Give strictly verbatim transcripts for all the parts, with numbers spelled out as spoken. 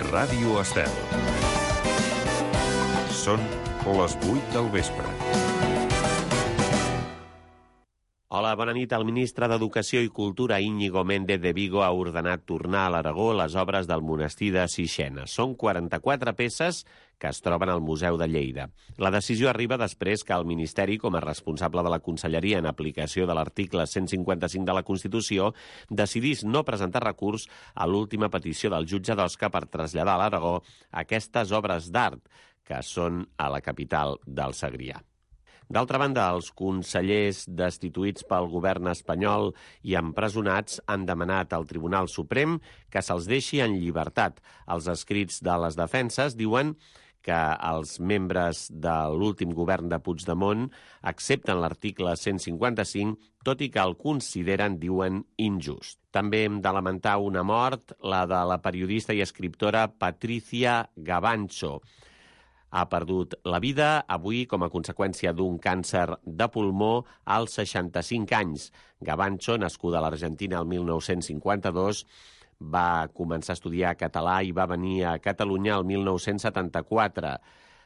Ràdio Estel. Són les vuit del vespre. Hola, bona nit. El ministre d'Educació i Cultura, Íñigo Méndez de Vigo, ha ordenat tornar a l'Aragó les obres del monestir de Sixena. Són quaranta-quatre peces que es troben al Museu de Lleida. La decisió arriba després que el Ministeri, com a responsable de la Conselleria en aplicació de l'article cent cinquanta-cinc de la Constitució, decidís no presentar recurs a l'última petició del jutge d'Osca per traslladar a l'Aragó aquestes obres d'art, que són a la capital del Segrià. D'altra banda, els consellers destituïts pel govern espanyol i empresonats han demanat al Tribunal Suprem que se'ls deixi en llibertat. Els escrits de les defenses diuen que els membres de l'últim govern de Puigdemont accepten l'article cent cinquanta-cinc, tot i que el consideren, diuen, injust. També hem de lamentar una mort, la de la periodista i escriptora Patricia Gavancho. Ha perdut la vida avui com a conseqüència d'un càncer de pulmó als seixanta-cinc anys. Gavancho, nascuda a l'Argentina el mil nou-cents cinquanta-dos, va començar a estudiar català i va venir a Catalunya el mil nou-cents setanta-quatre.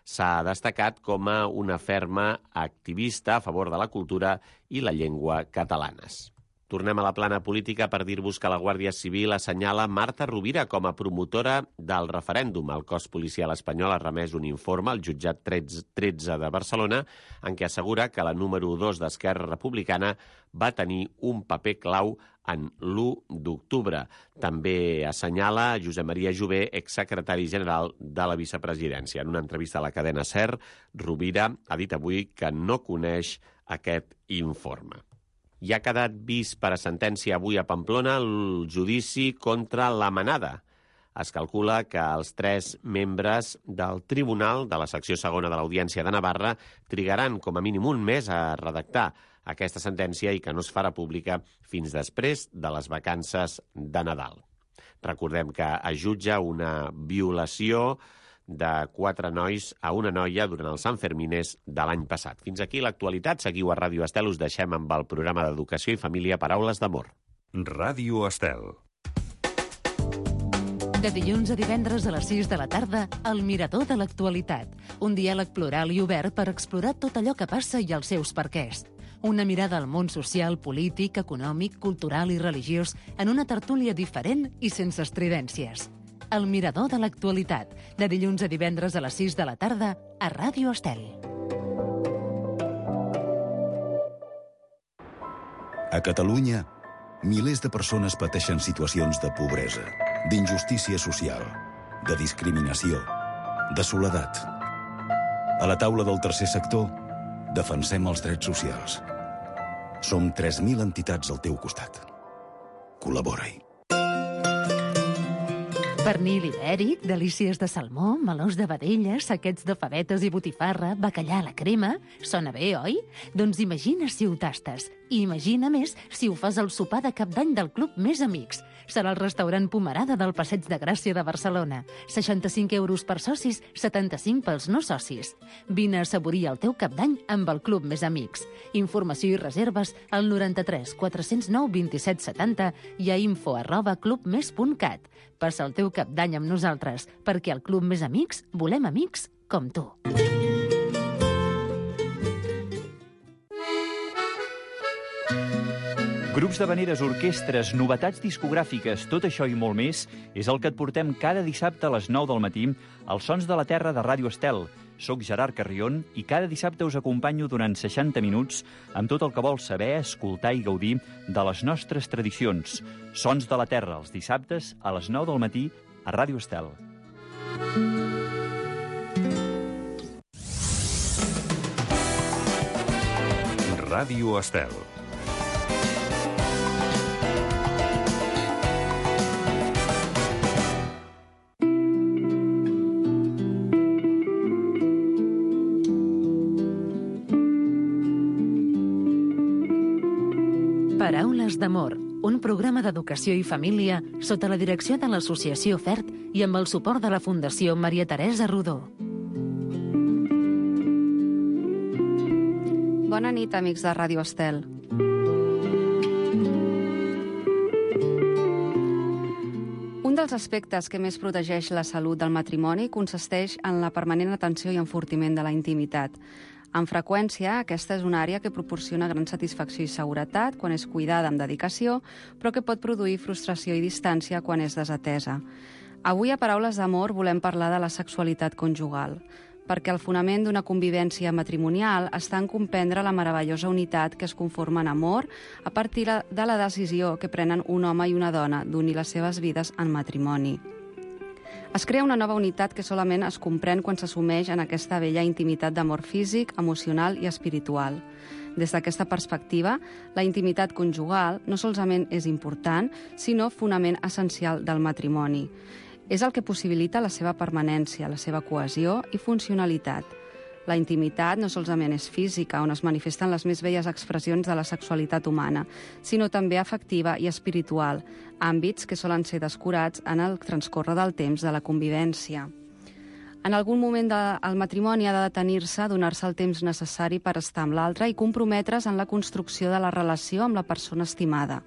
S'ha destacat com a una ferma activista a favor de la cultura i la llengua catalanes. Tornem a la plana política per dir-vos que la Guàrdia Civil assenyala Marta Rovira com a promotora del referèndum. El cos policial espanyol ha remès un informe al jutjat tretze de Barcelona en què assegura que la número dos d'Esquerra Republicana va tenir un paper clau en l'u d'octubre. També assenyala Josep Maria Jové, exsecretari general de la vicepresidència. En una entrevista a la cadena SER, Rovira ha dit avui que no coneix aquest informe. I ha quedat vist per a sentència avui a Pamplona el judici contra la Manada. Es calcula que els tres membres del tribunal de la secció segona de l'Audiència de Navarra trigaran com a mínim un mes a redactar aquesta sentència i que no es farà pública fins després de les vacances de Nadal. Recordem que es jutja una violació de quatre nois a una noia durant els Sanfermines de l'any passat. Fins aquí l'actualitat. Seguiu a Ràdio Estel. Us deixem amb el programa d'Educació i Família Paraules d'Amor. Ràdio Estel. De dilluns a divendres a les sis de la tarda, El Mirador de l'Actualitat. Un diàleg plural i obert per explorar tot allò que passa i els seus perquès. Una mirada al món social, polític, econòmic, cultural i religiós en una tertúlia diferent i sense estridències. El Mirador de l'Actualitat, de dilluns a divendres a les sis de la tarda, a Ràdio Estel. A Catalunya, milers de persones pateixen situacions de pobresa, d'injustícia social, de discriminació, de soledat. A la taula del tercer sector, defensem els drets socials. Som tres mil entitats al teu costat. Col·labora-hi. Pernil ibèric, delícies de salmó, melós de vedella, saquets de favetes i botifarra, bacallà a la crema... Sona bé, oi? Doncs imagina si ho tastes. I imagina més si ho fas al sopar de Cap d'Any del Club Més Amics. Serà el restaurant Pomerada del Passeig de Gràcia de Barcelona. seixanta-cinc euros per socis, setanta-cinc pels no socis. Vine a assaborir el teu Cap d'Any amb el Club Més Amics. Informació i reserves al noranta-tres quatre-cents nou vint-i-set setanta i a info arroba clubmes punt cat. Passa el teu Cap d'Any amb nosaltres, perquè al Club Més Amics volem amics com tu. Grups d'havaneres, orquestres, novetats discogràfiques, tot això i molt més és el que et portem cada dissabte a les nou del matí als Sons de la Terra de Ràdio Estel. Soc Gerard Carrion i cada dissabte us acompanyo durant seixanta minuts amb tot el que vols saber, escoltar i gaudir de les nostres tradicions. Sons de la Terra, els dissabtes a les nou del matí a Ràdio Estel. Ràdio Estel. Paraules d'amor, un programa d'educació i família sota la direcció de l'Associació FERT i amb el suport de la Fundació Maria Teresa Rodó. Bona nit, amics de Ràdio Estel. Un dels aspectes que més protegeix la salut del matrimoni consisteix en la permanent atenció i enfortiment de la intimitat. Amb freqüència, aquesta és una àrea que proporciona gran satisfacció i seguretat quan és cuidada amb dedicació, però que pot produir frustració i distància quan és desatesa. Avui, a Paraules d'Amor, volem parlar de la sexualitat conjugal, perquè el fonament d'una convivència matrimonial està en comprendre la meravellosa unitat que es conforma en amor a partir de la decisió que prenen un home i una dona d'unir les seves vides en matrimoni. Es crea una nova unitat que solament es comprèn quan s'assumeix en aquesta bella intimitat d'amor físic, emocional i espiritual. Des d'aquesta perspectiva, la intimitat conjugal no solament és important, sinó fonament essencial del matrimoni. És el que possibilita la seva permanència, la seva cohesió i funcionalitat. La intimitat no solament és física, on es manifesten les més belles expressions de la sexualitat humana, sinó també afectiva i espiritual, àmbits que solen ser descurats en el transcórrer del temps de la convivència. En algun moment del matrimoni ha de detenir-se, donar-se el temps necessari per estar amb l'altre i comprometre's en la construcció de la relació amb la persona estimada.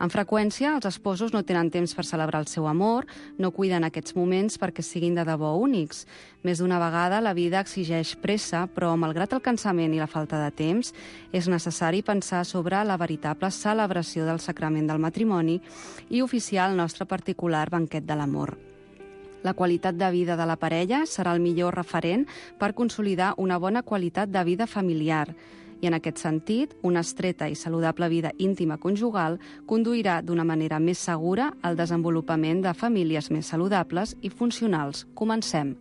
Amb freqüència, els esposos no tenen temps per celebrar el seu amor, no cuiden aquests moments perquè siguin de debò únics. Més d'una vegada, la vida exigeix pressa, però, malgrat el cansament i la falta de temps, és necessari pensar sobre la veritable celebració del sacrament del matrimoni i oficiar el nostre particular banquet de l'amor. La qualitat de vida de la parella serà el millor referent per consolidar una bona qualitat de vida familiar. I en aquest sentit, una estreta i saludable vida íntima conjugal conduirà d'una manera més segura al desenvolupament de famílies més saludables i funcionals. Comencem.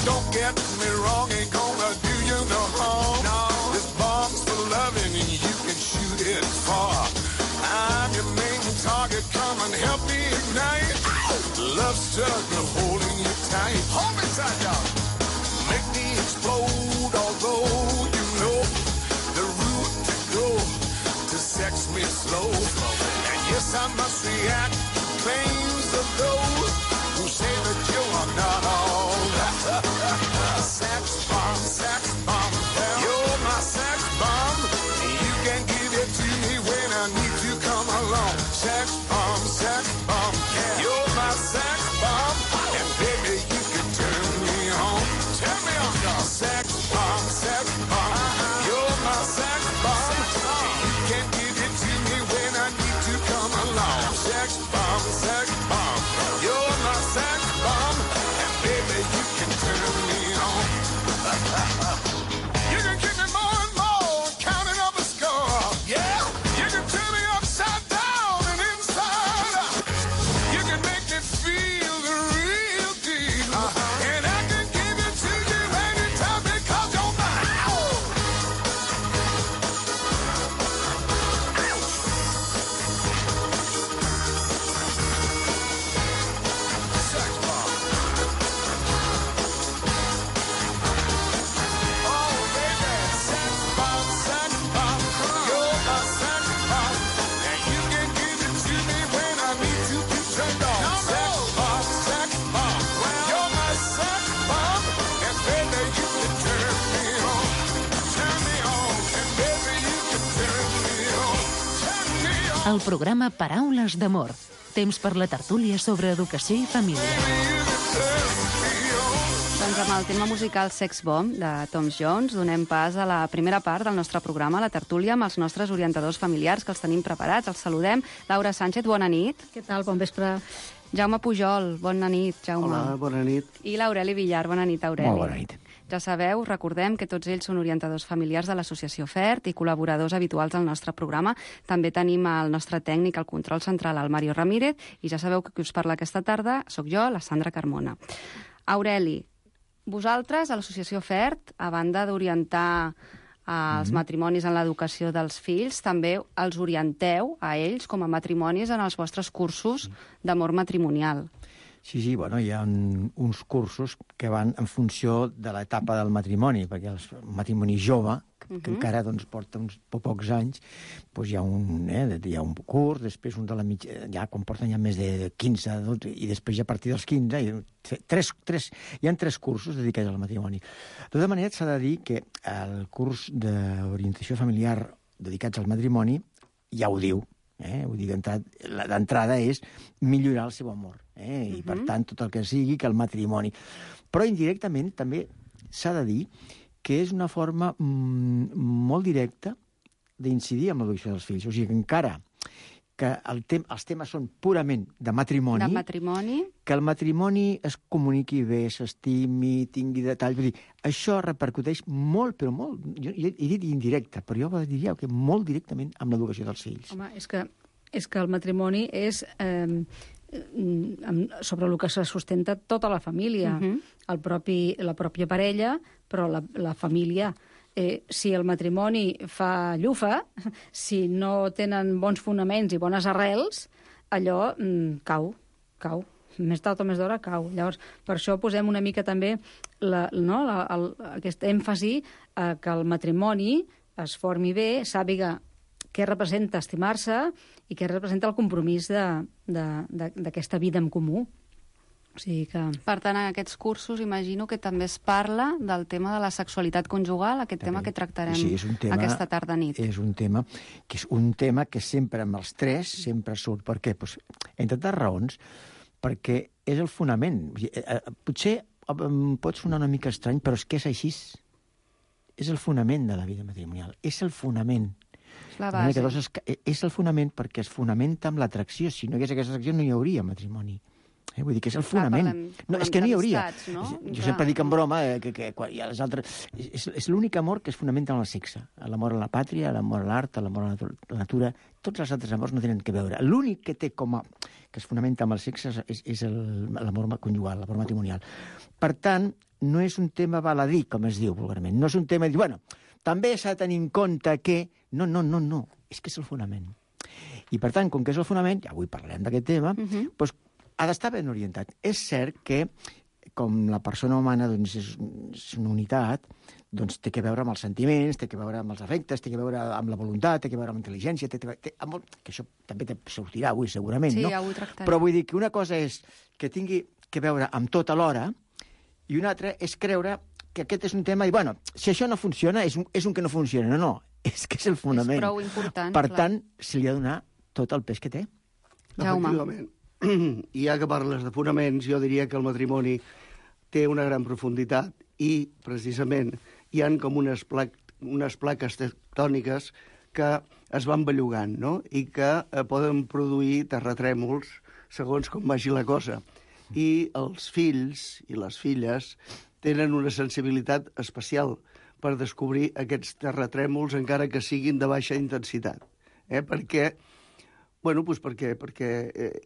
Don't get me wrong, ain't gonna do you no harm. No. This bomb's for loving and you can shoot it far. I'm your main target, come and help me ignite. Love struggle holding you tight. Hold me tight, y'all. Make me explode, although you know the route to go to sex me slow. And yes, I must react to claims of those who say that you are not all that. Sex bomb, sex bomb, you're my sex bomb. You can give it to me when I need to come along. Sex bomb, sex bomb, you're my sex bomb. And baby, you can turn me on. Turn me on, y'all. Sex bomb, sex bomb, you're my sex bomb. You can give it to me when I need to come along. Sex bomb, sex bomb, you're my sex bomb. And baby, you can turn me on. You can give me more and more, counting up a score. Yeah, you can turn me upside down and inside out. You can make me feel the real deal. Uh-huh. And I can give it to you anytime because you're mine. Sex bomb. Oh, baby, sex bomb, sex bomb. You're my sex bomb. And you can give it to me when I need to be turned on. Sex bomb, sex bomb. You're my sex bomb. And baby, you can turn me on. Turn me on. And baby, you can turn me on. Turn me on. El programa Paraules d'Amor. Temps per la tertúlia sobre educació i família. Doncs amb el tema musical Sex Bomb de Tom Jones donem pas a la primera part del nostre programa, la tertúlia, amb els nostres orientadors familiars, que els tenim preparats. Els saludem. Laura Sánchez, bona nit. Què tal? Bon vespre. Jaume Pujol, bona nit, Jaume. Hola, bona nit. I l'Aureli Villar, bona nit, Aureli. Molt bona nit. Ja sabeu, recordem que tots ells són orientadors familiars de l'associació FERT i col·laboradors habituals del nostre programa. També tenim el nostre tècnic al control central, el Mario Ramírez, i ja sabeu que qui us parla aquesta tarda sóc jo, la Sandra Carmona. Aureli, vosaltres, a l'associació FERT, a banda d'orientar els matrimonis en l'educació dels fills, també els orienteu a ells com a matrimonis en els vostres cursos d'amor matrimonial. Sí, sí, bueno, hi ha un, uns cursos que van en funció de l'etapa del matrimoni, perquè el matrimoni jove, que, uh-huh. que encara doncs, porta uns pocs anys, doncs hi ha un, eh, hi ha un curs, després un de la mitja, ja quan porten ja més de quinze, dotze, i després ja a partir dels quinze, i tres, tres, hi ha tres cursos dedicats al matrimoni. De tota manera, s'ha de dir que el curs d'orientació familiar dedicats al matrimoni ja ho diu, eh? Vull dir, d'entrada és millorar el seu amor, eh? I, uh-huh. per tant, tot el que sigui que el matrimoni. Però indirectament també s'ha de dir que és una forma mm, molt directa d'incidir en l'educació dels fills. O sigui, que encara que el tem els temes són purament de matrimoni, de matrimoni, que el matrimoni es comuniqui bé, s'estimi, tingui detalls. Vull dir, això repercuteix molt, però molt, jo he dit indirecte, però jo diria que molt directament amb l'educació dels fills. Home, és que, és que el matrimoni és eh, sobre el que se sustenta tota la família, uh-huh. el propi, la pròpia parella, però la, la família. Eh, si el matrimoni fa llufa, si no tenen bons fonaments i bones arrels, allò mm, cau, cau. Més tard o més d'hora cau. Llavors, per això posem una mica també la, no, la, el, aquest èmfasi eh, que el matrimoni es formi bé, sàpiga què representa estimar-se i què representa el compromís d'aquesta vida en comú. O sigui que... Per tant, en aquests cursos imagino que també es parla del tema de la sexualitat conjugal, aquest també. tema que tractarem sí, tema, aquesta tarda nit. És un tema que és un tema que sempre amb els tres sempre surt. Per què? Pues, entre tantes raons, perquè és el fonament. Potser pot sonar una mica estrany, però és que és així. És el fonament de la vida matrimonial. És el fonament. La base. Que dos es, és el fonament perquè es fonamenta amb l'atracció. Si no hi hagués aquesta atracció no hi hauria matrimoni. Eh, vull dir que és el fonament. Clar, parlem, no, és que no hi hauria. No? Jo Clar. sempre dic en broma eh, que, que quan hi ha les altres... És, és l'únic amor que es fonamenta en el sexe. L'amor a la pàtria, l'amor a l'art, l'amor a la natura... Tots els altres amors no tenen que veure. L'únic que té com a... que es fonamenta amb el sexe és, és l'amor conjugal, l'amor matrimonial. Per tant, no és un tema baladí, com es diu vulgarment. No és un tema de dir, bueno, també s'ha de tenir en compte que... No, no, no, no. És que és el fonament. I per tant, com que és el fonament, ja avui parlarem d'aquest tema, uh-huh. doncs ha d'estar ben orientat. És cert que, com la persona humana doncs, és, és una unitat, doncs té que veure amb els sentiments, té que veure amb els afectes, té que veure amb la voluntat, té que veure amb la intel·ligència, té, té, té, amb, que això també te sortirà avui, segurament, sí, no? Ja ho tractarem. Però vull dir que una cosa és que tingui que veure amb tot alhora i una altra és creure que aquest és un tema i, bueno, si això no funciona, és un, és un que no funciona. No, no, és que és el fonament. És prou important, per clar. tant, se li ha de donar tot el pes que té. Jaume. Efectivament. I ja que parles de fonaments, jo diria que el matrimoni té una gran profunditat i, precisament, hi han com unes, plac unes plaques tectòniques que es van bellugant, no? I que eh, poden produir terratrèmols segons com vagi la cosa. I els fills i les filles tenen una sensibilitat especial per descobrir aquests terratrèmols, encara que siguin de baixa intensitat. Eh? Perquè... Bueno, doncs perquè, perquè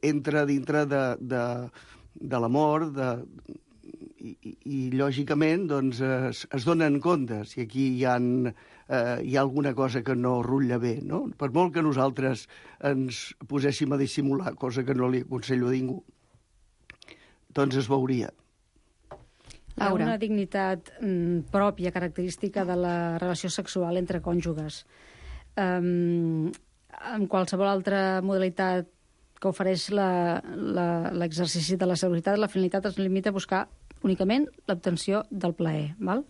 entra dintre de, de, de l'amor i, i, i, lògicament, doncs, es, es donen compte si aquí hi ha, eh, hi ha alguna cosa que no rutlla bé, no? Per molt que nosaltres ens poséssim a dissimular, cosa que no li aconsello a ningú, doncs es veuria. Hi ha una dignitat mm, pròpia, característica de la relació sexual entre cònjuges. Um, en qualsevol altra modalitat que ofereix l'exercici de la sexualitat, la finalitat es limita a buscar únicament l'obtenció del plaer. Val?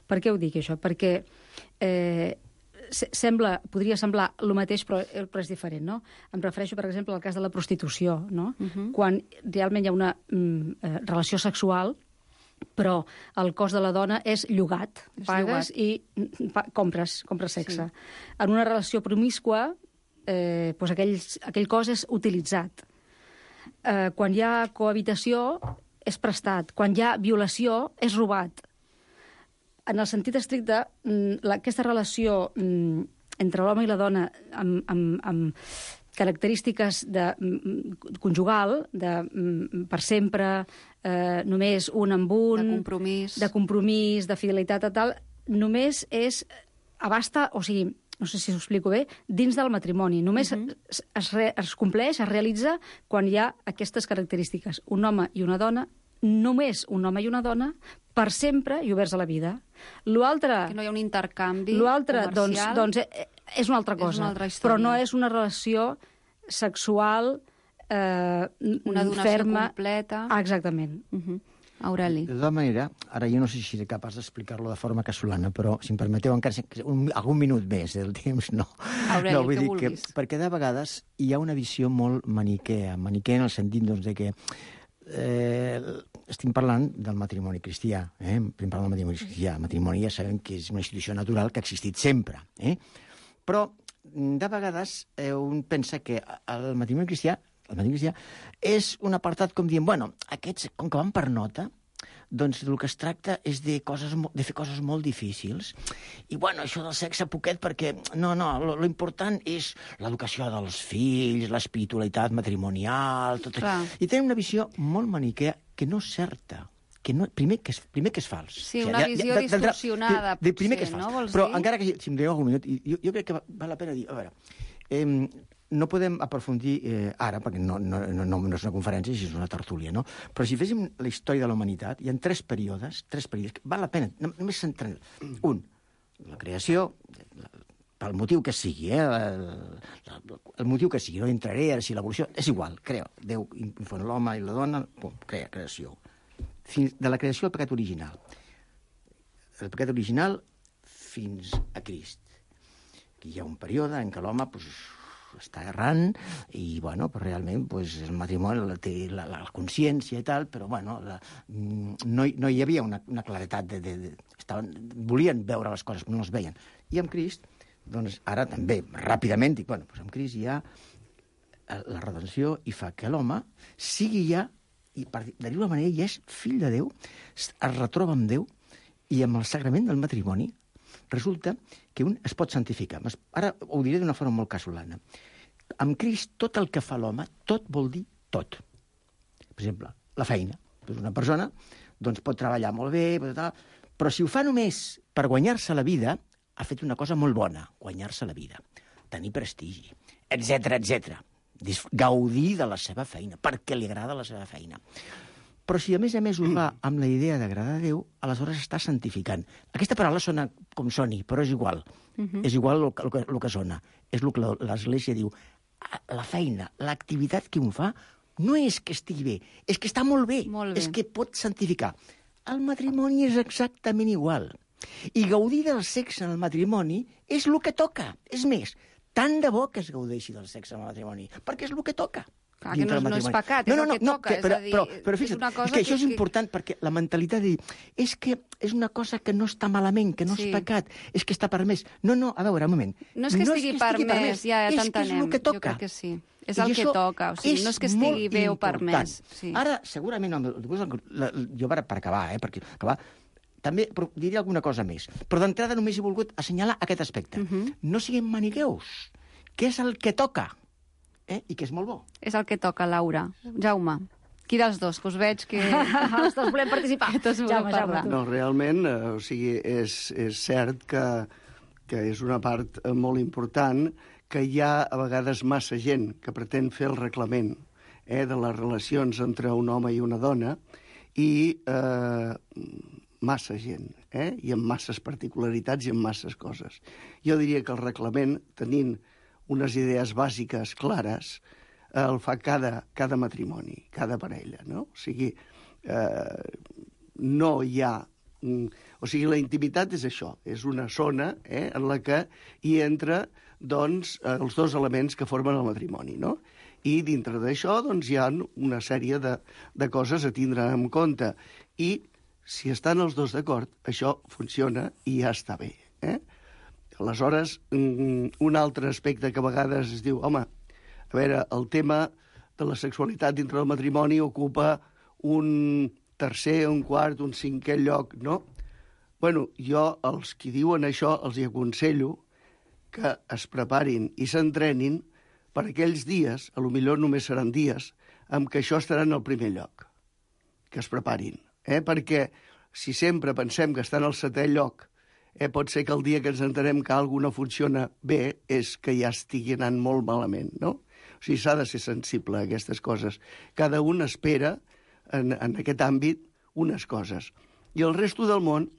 Per què ho dic, això? Perquè eh, sembla, podria semblar el mateix, però, però és diferent, no? Em refereixo, per exemple, al cas de la prostitució, no? Uh-huh. Quan realment hi ha una mm, relació sexual però el cos de la dona és llogat. És Pagues llogat. i pa, compres, compres sexe. Sí. En una relació promiscua, eh, doncs aquell, aquell cos és utilitzat. Eh, quan hi ha cohabitació, és prestat. Quan hi ha violació, és robat. En el sentit estricte, la, aquesta relació entre l'home i la dona amb, amb, amb característiques de conjugal, de per sempre, eh, només un amb un... De compromís. De compromís, de fidelitat a tal, només és... abasta, o sigui, no sé si ho explico bé, dins del matrimoni. Només uh-huh. es, es, re, es compleix, es realitza quan hi ha aquestes característiques. Un home i una dona, només un home i una dona, per sempre i oberts a la vida. L'altre... Que no hi ha un intercanvi L'altre, doncs, comercial. doncs, és una altra cosa. És una altra història. Però no és una relació sexual eh, una donació ferma. completa. Ah, exactament. Uh-huh. Aureli. De tota manera, ara jo no sé si seré capaç d'explicar-lo de forma casolana, però si em permeteu encara un, algun minut més del temps, no. Aureli, no, vull que dir vulguis. que, perquè de vegades hi ha una visió molt maniquea, maniquea en el sentit doncs, de que eh, estem parlant del matrimoni cristià, eh? estem parlant del matrimoni cristià. El matrimoni ja sabem que és una institució natural que ha existit sempre, eh? Però de vegades eh, un pensa que el matrimoni cristià el matrimoni cristià és un apartat com dient, bueno, aquests, com que van per nota, doncs el que es tracta és de, coses, de fer coses molt difícils. I, bueno, això del sexe poquet, perquè, no, no, lo, lo important és l'educació dels fills, l'espiritualitat matrimonial, tot això. I tenen una visió molt maniquea que no és certa. Que no, primer, que és, primer que és fals. Sí, una o sigui, visió de, de, de, distorsionada, de, de, primer potser, que és fals. no? Vols Però dir? encara que, si em doneu algun minut, jo, jo crec que val la pena dir, a veure, eh, no podem aprofundir eh, ara, perquè no, no, no, no és una conferència, és una tertúlia, no? Però si féssim la història de la humanitat, hi ha tres períodes, tres períodes, que val la pena, només centrar. Un, la creació, pel motiu que sigui, eh? El, el motiu que sigui, no entraré ara si l'evolució, és igual, crea, Déu infon l'home i la dona, pum, crea, creació. Fins de la creació al pecat original. El pecat original fins a Crist. Aquí hi ha un període en què l'home, pues, està errant i, bueno, pues, realment pues, el matrimoni la té la, la consciència i tal, però, bueno, la, no, no hi havia una, una claretat de... de, de estaven, volien veure les coses, però no les veien. I amb Crist, doncs, ara també, ràpidament, dic, bueno, pues amb Crist hi ha la redenció i fa que l'home sigui ja, i per dir-ho manera, ja és fill de Déu, es retroba amb Déu, i amb el sagrament del matrimoni resulta que un es pot santificar. Ara ho diré d'una forma molt casolana. Amb Crist, tot el que fa l'home, tot vol dir tot. Per exemple, la feina. Una persona doncs, pot treballar molt bé, però si ho fa només per guanyar-se la vida, ha fet una cosa molt bona, guanyar-se la vida, tenir prestigi, etcètera, etcètera. Gaudir de la seva feina, perquè li agrada la seva feina. Però si a més a més ho fa amb la idea d'agradar a Déu, aleshores està santificant. Aquesta paraula sona com soni, però és igual. Uh-huh. És igual el que, el, que, el que sona. És el que l'Església diu. La feina, l'activitat que un fa, no és que estigui bé, és que està molt bé, molt bé. És que pot santificar. El matrimoni és exactament igual. I gaudir del sexe en el matrimoni és el que toca. És més, tant de bo que es gaudeixi del sexe en el matrimoni, perquè és el que toca. Clar, que no, no és pecat, és no, no, el que no, toca. Que, però, és a dir, però, però fixa't, és una cosa que això que, és important, perquè la mentalitat de dir és que és una cosa que no està malament, que no sí. és pecat, és que està permès. No, no, a veure, un moment. No és que no estigui, és que estigui permès, ja, ja t'entenem. És que és el que toca. Jo crec que sí. És el que toca, o sigui, no és que estigui bé o permès. Sí. Ara, segurament, jo per acabar, eh, perquè acabar, també diré alguna cosa més. Però d'entrada només he volgut assenyalar aquest aspecte. Uh-huh. No siguem maniqueus, que és el que toca. Eh? I que és molt bo. És el que toca, Laura. Jaume, qui dels dos? Que us veig que... Els dos volem participar. Que tots volem parlar. No, realment, eh, o sigui, és, és cert que, que és una part eh, molt important que hi ha a vegades massa gent que pretén fer el reglament eh, de les relacions entre un home i una dona i eh, massa gent, eh? I amb masses particularitats i amb masses coses. Jo diria que el reglament, tenint unes idees bàsiques clares, eh, el fa cada, cada matrimoni, cada parella, no? O sigui, eh, no hi ha... O sigui, la intimitat és això, és una zona eh, en la que hi entra doncs, els dos elements que formen el matrimoni, no? I dintre d'això doncs, hi ha una sèrie de, de coses a tindre en compte. I si estan els dos d'acord, això funciona i ja està bé. Eh? Aleshores, un altre aspecte que a vegades es diu, home, a veure, el tema de la sexualitat dintre del matrimoni ocupa un tercer, un quart, un cinquè lloc, no? Bueno, jo, els qui diuen això, els hi aconsello que es preparin i s'entrenin per aquells dies, a lo millor només seran dies, amb què això estarà en el primer lloc. Que es preparin. Eh? Perquè si sempre pensem que està en el setè lloc, eh, pot ser que el dia que ens entenem que alguna no funciona bé és que ja estigui anant molt malament, no? O sigui, s'ha de ser sensible a aquestes coses. Cada un espera en, en aquest àmbit unes coses. I el resto del món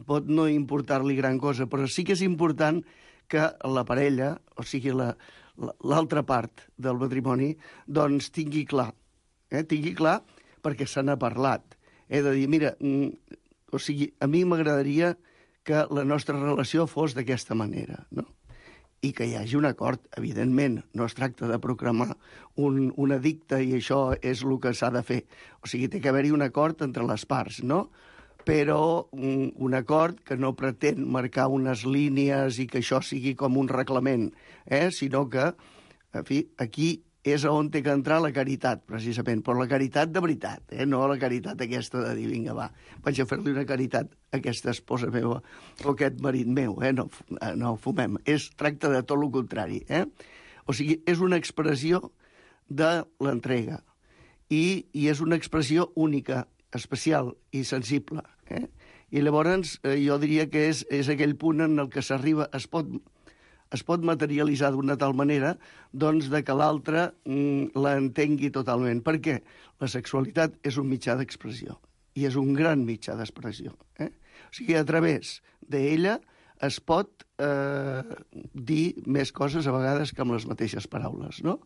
pot no importar-li gran cosa, però sí que és important que la parella, o sigui, la, l'altra part del matrimoni, doncs tingui clar. Eh? Tingui clar perquè se n'ha parlat. He de dir, mira, mm, o sigui, a mi m'agradaria que la nostra relació fos d'aquesta manera, no? I que hi hagi un acord, evidentment. No es tracta de proclamar un, un edicte i això és el que s'ha de fer. O sigui, té que haver-hi un acord entre les parts, no? Però un, un acord que no pretén marcar unes línies i que això sigui com un reglament, eh? Sinó que, en fi, aquí és on té que entrar la caritat, precisament, però la caritat de veritat, eh? No la caritat aquesta de dir, vinga, va, vaig a fer-li una caritat a aquesta esposa meva o aquest marit meu, eh? No, no fumem. Es tracta de tot el contrari, eh? O sigui, és una expressió de l'entrega i, i és una expressió única, especial i sensible, eh? I llavors eh, jo diria que és, és aquell punt en el que s'arriba, es pot... es pot materialitzar d'una tal manera doncs, de que l'altre mm, l'entengui totalment. Per què? La sexualitat és un mitjà d'expressió i és un gran mitjà d'expressió. Eh? O sigui, a través d'ella es pot eh, dir més coses a vegades que amb les mateixes paraules, no?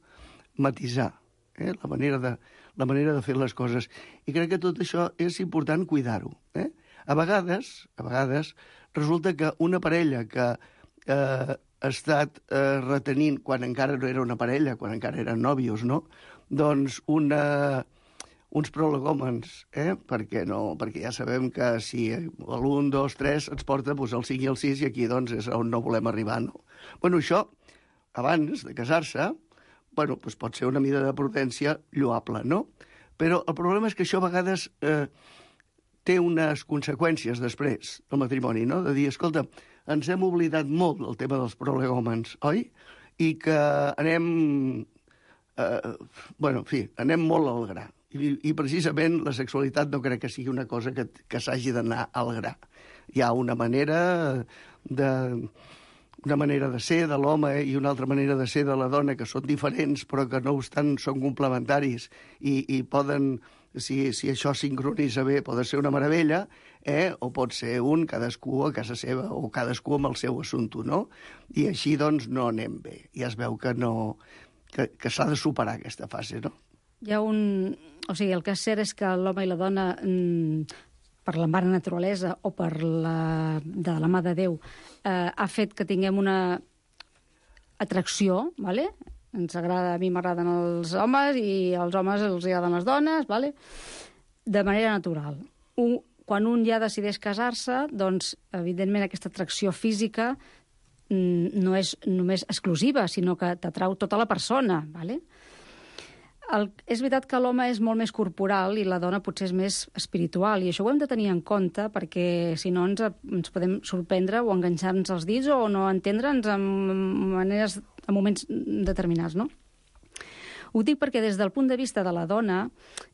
Matisar, eh? la, manera de, la manera de fer les coses. I crec que tot això és important cuidar-ho. Eh? A vegades, a vegades resulta que una parella que eh, ha estat eh, retenint, quan encara no era una parella, quan encara eren nòvios, no? Doncs una, uns prolegòmens, eh? Perquè, no, perquè ja sabem que si l'un, dos, tres ens porta doncs, el cinc i el sis i aquí doncs, és on no volem arribar, no? Bueno, això, abans de casar-se, bueno, doncs pot ser una mida de prudència lloable, no? Però el problema és que això a vegades eh, té unes conseqüències després del matrimoni, no? De dir, escolta, ens hem oblidat molt del tema dels prolegòmens, oi? I que anem... Eh, bueno, en fi, anem molt al gra. I, I precisament la sexualitat no crec que sigui una cosa que, que s'hagi d'anar al gra. Hi ha una manera de... una manera de ser de l'home i una altra manera de ser de la dona que són diferents però que no obstant són complementaris i, i poden... Si, si això sincronitza bé, pot ser una meravella, eh? O pot ser un, cadascú a casa seva, o cadascú amb el seu assumpte, no? I així, doncs, no anem bé. I es veu que no... que, que s'ha de superar aquesta fase, no? Hi ha un... O sigui, el que és cert és que l'home i la dona, per la mare naturalesa o per la... de la mà de Déu, eh, ha fet que tinguem una atracció, ¿vale? Ens agrada, a mi m'agraden els homes i als homes els agraden les dones, ¿vale? De manera natural. Un, quan un ja decideix casar-se, doncs, evidentment, aquesta atracció física no és només exclusiva, sinó que t'atrau tota la persona, ¿vale? El, és veritat que l'home és molt més corporal i la dona potser és més espiritual, i això ho hem de tenir en compte perquè si no ens, ens podem sorprendre o enganxar-nos els dits o no entendre'ns en maneres, en moments determinats, no? Ho dic perquè des del punt de vista de la dona,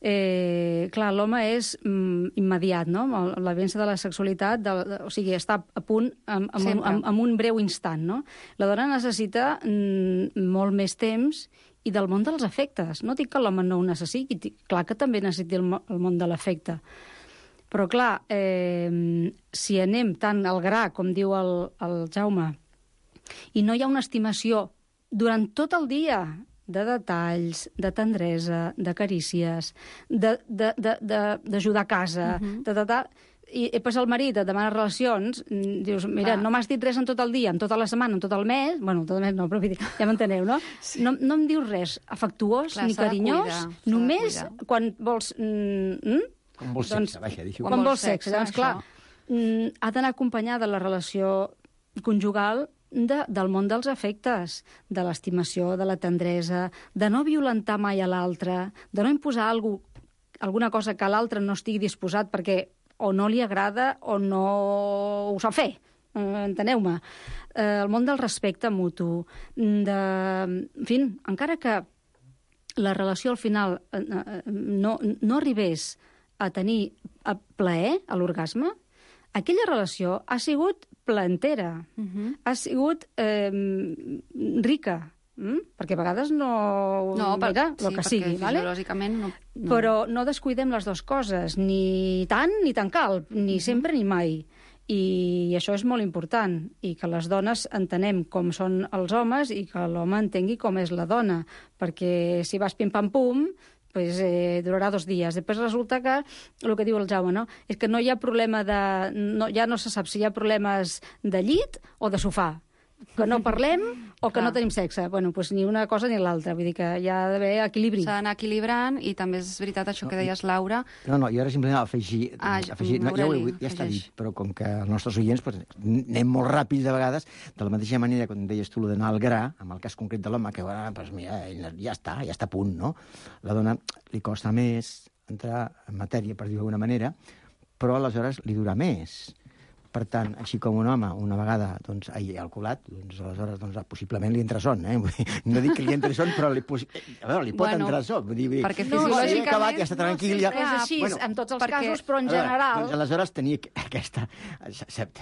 eh, clar, l'home és mm, immediat, no? La vivència de la sexualitat, de, de, o sigui, està a punt en, en, en, en, en un breu instant, no? La dona necessita mm, molt més temps i del món dels afectes. No dic que l'home no ho necessiti, clar que també necessiti el, el món de l'afecte. Però, clar, eh, si anem tant al gra, com diu el, el Jaume, i no hi ha una estimació durant tot el dia de detalls, de tendresa, de carícies, d'ajudar a casa, uh-huh. de, de, de, i, i pues el marit et demana relacions, dius, mira, ah. no m'has dit res en tot el dia, en tota la setmana, en tot el mes, bueno, tot el mes no, però ja m'enteneu, no? Sí. no? No em dius res afectuós Clar, ni carinyós, cuidar, només quan vols... Mm, Com vol sexe, vaja, deixo. Quan vol sexe, doncs clar, mm, ha d'anar acompanyada la relació conjugal de, del món dels afectes, de l'estimació, de la tendresa, de no violentar mai a l'altre, de no imposar algú, alguna cosa que l'altre no estigui disposat perquè o no li agrada o no ho sap fer. Enteneu-me. Eh, el món del respecte mutu, de... En fi, encara que la relació al final eh, no, no arribés a tenir a plaer, a l'orgasme, aquella relació ha sigut plantera, uh-huh. ha sigut eh, rica, mm? perquè a vegades no... No, mira, sí, el que perquè sigui, vale? fisiològicament no, no. Però no descuidem les dues coses, ni tant ni tan cal, ni uh-huh. sempre ni mai. I això és molt important, i que les dones entenem com són els homes i que l'home entengui com és la dona, perquè si vas pim-pam-pum, pues, eh, durarà dos dies. Després resulta que, el que diu el Jaume, no? és que no hi ha problema de... No, ja no se sap si hi ha problemes de llit o de sofà. Que no parlem o que Clar. no tenim sexe. Bueno, doncs ni una cosa ni l'altra. Vull dir que hi ha d'haver equilibri. S'ha d'anar equilibrant i també és veritat això que deies, Laura. No, no, jo ara simplement afegir... Ah, afegir no, ja, ho he, ja està afegeix. dit, però com que els nostres oients pues, anem molt ràpid de vegades, de la mateixa manera, quan deies tu, d'anar al gra, amb el cas concret de l'home, que bueno, pues, mira, ja està, ja està a punt, no? La dona li costa més entrar en matèria, per dir-ho d'alguna manera, però aleshores li dura més. Per tant, així com un home, una vegada, doncs, ai, alcoholat, doncs, aleshores, doncs, possiblement li entra son, eh? No dic que li entri son, però li, a veure, li pot bueno, entrar son. Vull dir, perquè no, fisiològicament... acabat, ja està tranquil. No ja... és així, bueno, en tots els perquè... casos, però en veure, general... Doncs, aleshores, tenia aquesta...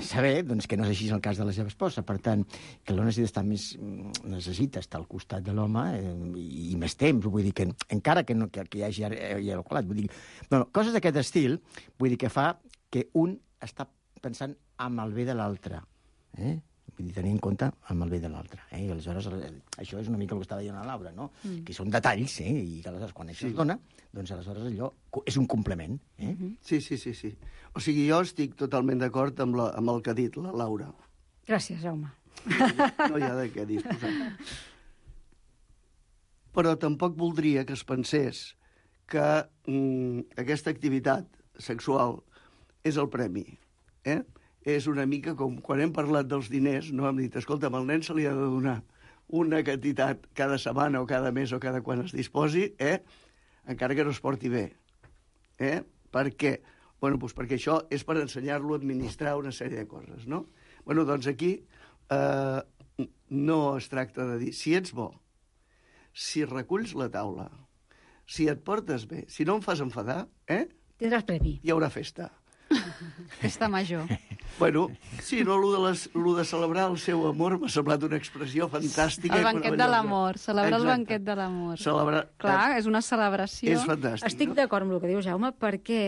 Saber doncs, que no és així el cas de la seva esposa. Per tant, que l'home necessita estar més... necessita estar al costat de l'home eh, i, i més temps. Vull dir que, encara que, no, que, que hi hagi, hi hagi alcoholat, vull dir... Bueno, coses d'aquest estil, vull dir que fa que un està pensant amb el bé de l'altre, eh? Vull dir, tenir en compte amb el bé de l'altre. Eh? I aleshores, això és una mica el que estava dient la Laura, no? Mm. Que són detalls, eh? I que aleshores, quan això sí. es dona, doncs aleshores allò és un complement. Eh? Mm -hmm. Sí, sí, sí, sí. O sigui, jo estic totalment d'acord amb, la, amb el que ha dit la Laura. Gràcies, Jaume. No, no hi ha de què disposar. Però tampoc voldria que es pensés que mm, aquesta activitat sexual és el premi. Eh? És una mica com quan hem parlat dels diners, no hem dit, escolta, al nen se li ha de donar una quantitat cada setmana o cada mes o cada quan es disposi, eh? encara que no es porti bé. Eh? Per què? Bueno, doncs perquè això és per ensenyar-lo a administrar una sèrie de coses, no? Bueno, doncs aquí eh, no es tracta de dir, si ets bo, si reculls la taula, si et portes bé, si no em fas enfadar, eh? Tindràs premi. Hi haurà festa. Festa major. Bueno, sí, no, lo de, les, lo de celebrar el seu amor m'ha semblat una expressió fantàstica. El banquet de l'amor, celebrar Exacte. el banquet de l'amor. Celebrar... Clar, és una celebració. És fantàstic. Estic no? d'acord amb el que diu Jaume, perquè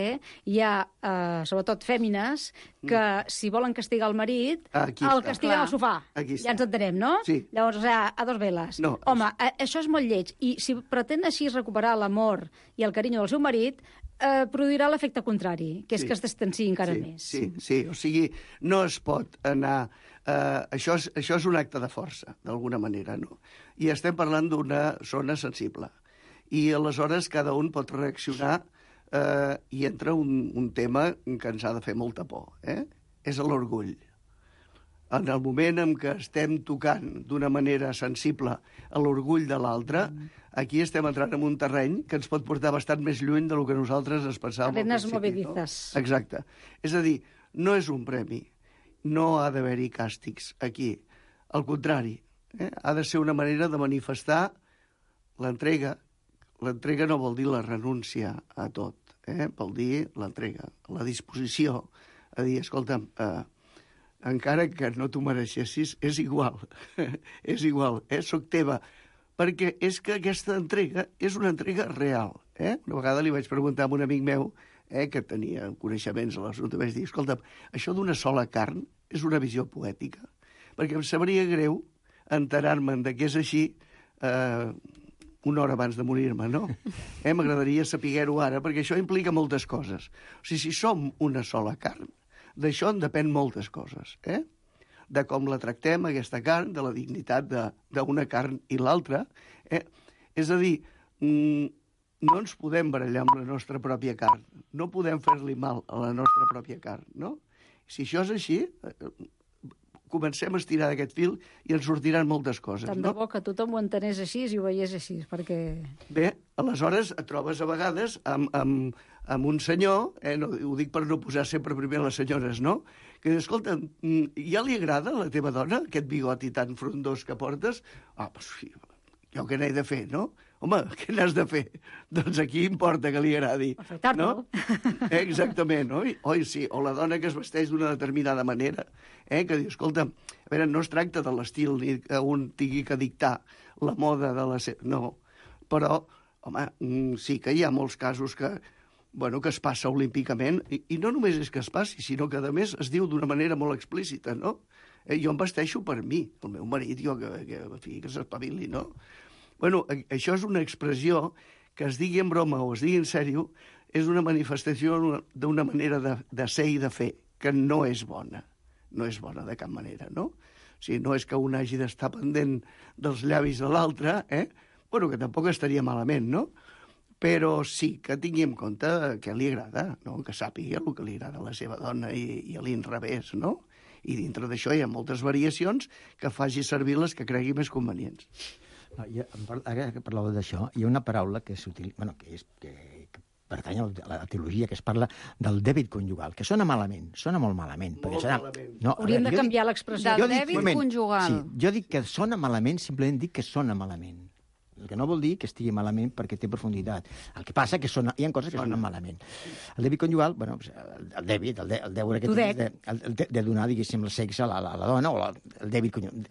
hi ha, eh, sobretot fèmines, que si volen castigar el marit, Aquí el està. castiguen al sofà. Aquí Ja està. ens entenem, no? Sí. Llavors, o sigui, a dos veles. No, Home, eh, això és molt lleig. I si pretén així recuperar l'amor i el carinyo del seu marit, eh, produirà l'efecte contrari, que és Sí. que es distanciï encara sí, més. Sí, sí, o sigui, no es pot anar... Eh, això, és, això és un acte de força, d'alguna manera, no? I estem parlant d'una zona sensible. I aleshores cada un pot reaccionar eh, i entra un, un tema que ens ha de fer molta por, eh? És l'orgull. En el moment en què estem tocant d'una manera sensible a l'orgull de l'altre, aquí estem entrant en un terreny que ens pot portar bastant més lluny del que nosaltres ens pensàvem al Arenas principi. movedizas. No? Exacte. És a dir, no és un premi, no ha d'haver-hi càstigs aquí. Al contrari, eh? ha de ser una manera de manifestar l'entrega. L'entrega no vol dir la renúncia a tot, eh? vol dir l'entrega, la disposició a dir, escolta'm, eh, encara que no t'ho mereixessis, és igual, és igual, eh? soc teva, perquè és que aquesta entrega és una entrega real. Eh? Una vegada li vaig preguntar a un amic meu, eh, que tenia coneixements a l'assumpte, vaig dir, escolta, això d'una sola carn és una visió poètica, perquè em sabria greu enterar-me'n de què és així eh, una hora abans de morir-me, no? Eh, M'agradaria saber-ho ara, perquè això implica moltes coses. O sigui, si som una sola carn, d'això en depèn moltes coses, eh? De com la tractem, aquesta carn, de la dignitat d'una carn i l'altra. Eh? És a dir, mm, no ens podem barallar amb la nostra pròpia carn. No podem fer-li mal a la nostra pròpia carn, no? Si això és així, comencem a estirar d'aquest fil i ens sortiran moltes coses, Tant no? de bo que tothom ho entenés així i ho veiés així, perquè... Bé, aleshores et trobes a vegades amb, amb, amb un senyor, eh, no, ho dic per no posar sempre primer les senyores, no?, que diu, escolta, ja li agrada a la teva dona aquest bigoti tan frondós que portes? Ah, doncs sí, jo què n'he de fer, no? Home, què n'has de fer? Doncs aquí importa que li agradi. Afaitar-lo. No? Eh, exactament, oi? Oi, sí, o la dona que es vesteix d'una determinada manera, eh, que diu, escolta, a veure, no es tracta de l'estil ni que un tingui que dictar la moda de la seva... No, però, home, sí que hi ha molts casos que, bueno, que es passa olímpicament, i, i no només és que es passi, sinó que, a més, es diu d'una manera molt explícita, no? Eh, jo em vesteixo per mi, el meu marit, jo, que, que, que, que s'espavili, no? Bueno, això és una expressió que es digui en broma o es digui en sèrio, és una manifestació d'una manera de, de ser i de fer, que no és bona. No és bona de cap manera, no? O sigui, no és que un hagi d'estar pendent dels llavis de l'altre, eh? Bueno, que tampoc estaria malament, no? Però sí que tingui en compte què li agrada, no? Que sàpiga el que li agrada a la seva dona i, i a l'inrevés, no? I dintre d'això hi ha moltes variacions que faci servir les que cregui més convenients. No, jo, ara que parlàveu d'això, hi ha una paraula que s'utilitza, bueno, que, és, que, que pertany a la teologia, que es parla del dèbit conjugal, que sona malament, sona molt malament. Molt sona... malament. No, Hauríem veure, de jo canviar dic- l'expressió. Del jo dic- dèbit moment, conjugal. Sí, jo dic que sona malament, simplement dic que sona malament. El que no vol dir que estigui malament perquè té profunditat. El que passa que sona, hi ha coses que sonen malament. El dèbit conjugal, bueno, el, el dèbit, el, de, el deure que tens de, el, el de, de donar, diguéssim, el sexe a la, a la dona, o la, el dèbit conjugal,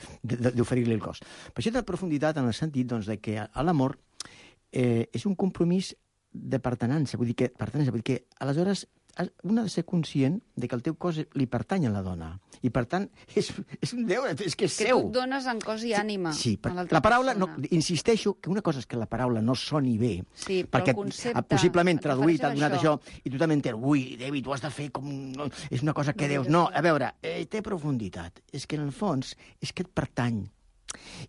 d'oferir-li el cos. Però això té profunditat en el sentit doncs, de que l'amor eh, és un compromís de pertenença, vull dir que, pertenença, vull dir que aleshores un ha de ser conscient de que el teu cos li pertany a la dona. I, per tant, és, és un deure, és que és Que seu. tu et dones en cos i ànima Sí, per, a l'altra la paraula, no, persona. insisteixo que una cosa és que la paraula no soni bé, Sí, però perquè el concepte ah, possiblement et traduït ha refereixes a donat això. això, i tu també entens, ui, David, ho has de fer com... No, és una cosa que deus... No, a veure, eh, té profunditat. És que en el fons és que et pertany.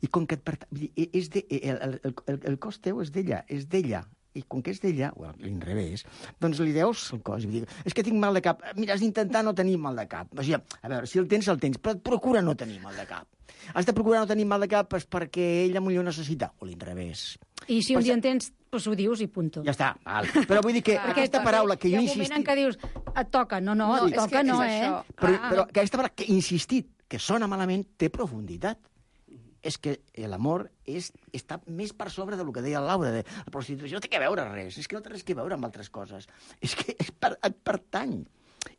I com que et pertany... vull dir, És de, el, el, el, el cos teu és d'ella, és d'ella. I com que és d'ella, o a l'inrevés, doncs li deus el cos. I vull dir, és que tinc mal de cap. Mira, has d'intentar no tenir mal de cap. O sigui, a veure, si el tens, el tens, però procura no tenir mal de cap. Has de procurar no tenir mal de cap pues, perquè ella millor necessita, o l'inrevés. I si un Però dia en tens, doncs ho dius i punto. Ja està, val. Però vull dir que Clar, aquesta perquè paraula que Hi jo ha he un moment en insistit... què dius, et toca. No, no, No, et és toca, que no, és eh? això. Però, Clar. però aquesta paraula que he insistit, que sona malament, té profunditat. És que l'amor és, està més per sobre del que deia el Laura. De, la prostitució no té que veure res, és que no té res que veure amb altres coses. És que és per, et pertany.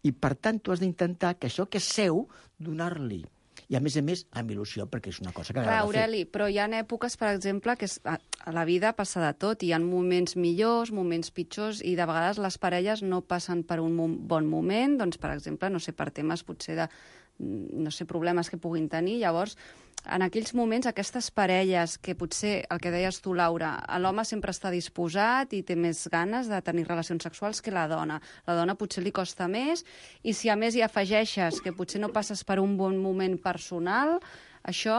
I, per tant, tu has d'intentar que això que és seu, donar-li. I, a més a més, amb il·lusió, perquè és una cosa que Clar, agrada fer. Aureli, però hi ha èpoques, per exemple, que és, a, a la vida passa de tot. Hi ha moments millors, moments pitjors, i de vegades les parelles no passen per un mo bon moment, doncs, per exemple, no sé, per temes potser de no sé, problemes que puguin tenir. Llavors, en aquells moments, aquestes parelles que potser, el que deies tu, Laura, l'home sempre està disposat i té més ganes de tenir relacions sexuals que la dona. La dona potser li costa més, i si a més hi afegeixes que potser no passes per un bon moment personal, això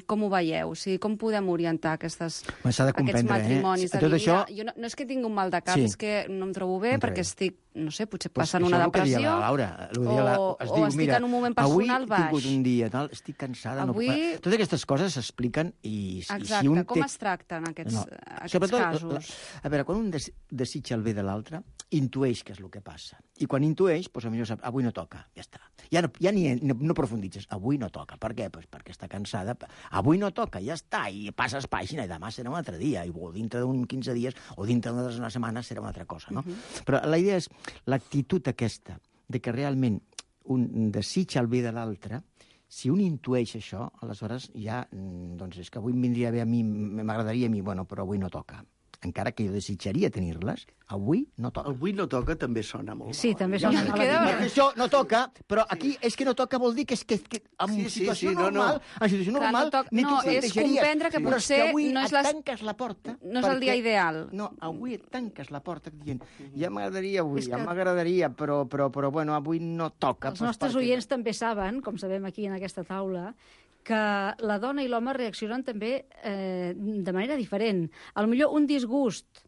com ho veieu? O sigui, com podem orientar aquestes, S'ha de aquests comprendre, matrimonis? eh? De Tot dir, això... mira, jo no, no és que tingui un mal de cap, Sí. és que no em trobo bé No perquè trobo. estic, no sé, potser Pues passant això una és el que deia depressió, la Laura. El que deia la- o, es o diu, estic mira, en un moment personal avui he baix. tingut un dia, tal, estic cansada. Avui- No... Totes aquestes coses s'expliquen i, i Exacte, si un com té... es tracten aquests, No. aquests Sobretot, casos? La, a veure, quan un des, desitja el bé de l'altre, intueix què és el que passa. I quan intueix, doncs, potser sap, avui no toca, ja està. Ja no, ja ni, no, no profunditzes, avui no toca. Per què? Pues perquè està cansada. Avui no toca, ja està, i passes pàgina, i demà serà un altre dia, i o dintre d'un quinze dies, o dintre d'una setmana serà una altra cosa, no? Uh-huh. Però la idea és l'actitud aquesta, de que realment un desitja el bé de l'altre. Si un intueix això, aleshores ja, doncs és que avui em vindria bé a mi, m'agradaria a mi, bueno, però avui no toca. Encara que jo desitjaria tenir-les, avui no toca. Avui no toca també sona molt. Sí, també Ja sona ho sé. malament. Perquè això no toca, però aquí és que no toca vol dir que és que, que en Sí, sí, situació sí, no, no. normal, en situació Clar, normal, no toc- ni no, tu és plantejaries. comprendre que Però és potser que avui no és et les- tanques la porta. no és el dia ideal. No, avui et tanques la porta dient, ja m'agradaria avui, És ja que- m'agradaria, però, però, però, bueno, avui no toca. Els doncs nostres perquè- oients també saben, com sabem aquí en aquesta taula, que la dona i l'home reaccionen també eh, de manera diferent. A lo millor un disgust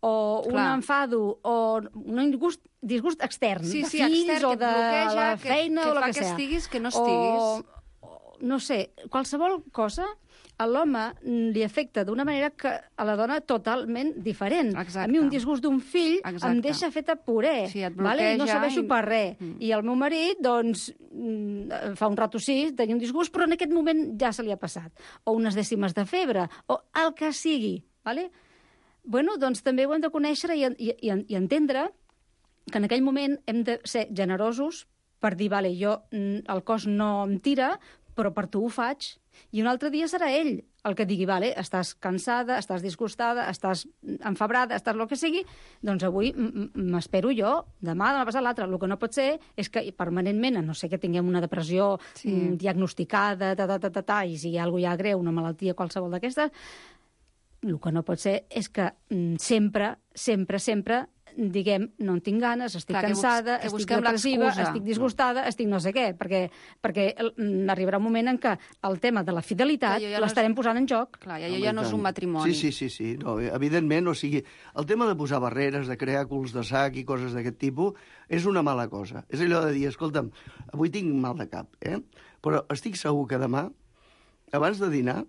o un Clar. enfado, o un disgust, disgust extern, Sí, de sí, fills extern, o que et de bloqueja, la que- feina que o el fa que, que sea. estiguis, que no O, estiguis. o, no sé, qualsevol cosa a l'home li afecta d'una manera que a la dona totalment diferent. Exacte. A mi un disgust d'un fill Exacte. em deixa feta puré. Sí, et vale? I no bloqueja serveixo i- per res. Mm. I el meu marit, doncs, mm, fa un rato sí, tenia un disgust, però en aquest moment ja se li ha passat. O unes dècimes de febre, o el que sigui. Vale? Bueno, doncs també ho hem de conèixer i, i, i, i entendre que en aquell moment hem de ser generosos per dir, vale, jo, mm, el cos no em tira, però per tu ho faig. I un altre dia serà ell el que digui, vale, estàs cansada, estàs disgustada, estàs enfebrada, estàs el que sigui, doncs avui m- m- m'espero jo, demà, demà passat l'altre. El que no pot ser és que permanentment, a no sé que tinguem una depressió Sí. mm, diagnosticada, ta, ta, ta, ta, ta, i si hi ha alguna ja greu, una malaltia qualsevol d'aquestes, el que no pot ser és que mm, sempre, sempre, sempre diguem, no en tinc ganes, estic Clar, que bus- cansada, que estic busquem depressiva, l'excusa. estic disgustada, estic no sé què, perquè, perquè mm, arribarà un moment en què el tema de la fidelitat Clar, jo ja no l'estarem és- posant en joc. Clar, ja, ja no és un matrimoni. Sí, sí, sí, sí. No, evidentment, o sigui, el tema de posar barreres, de crear culs de sac i coses d'aquest tipus, és una mala cosa. És allò de dir, escolta'm, avui tinc mal de cap, eh? Però estic segur que demà, abans de dinar,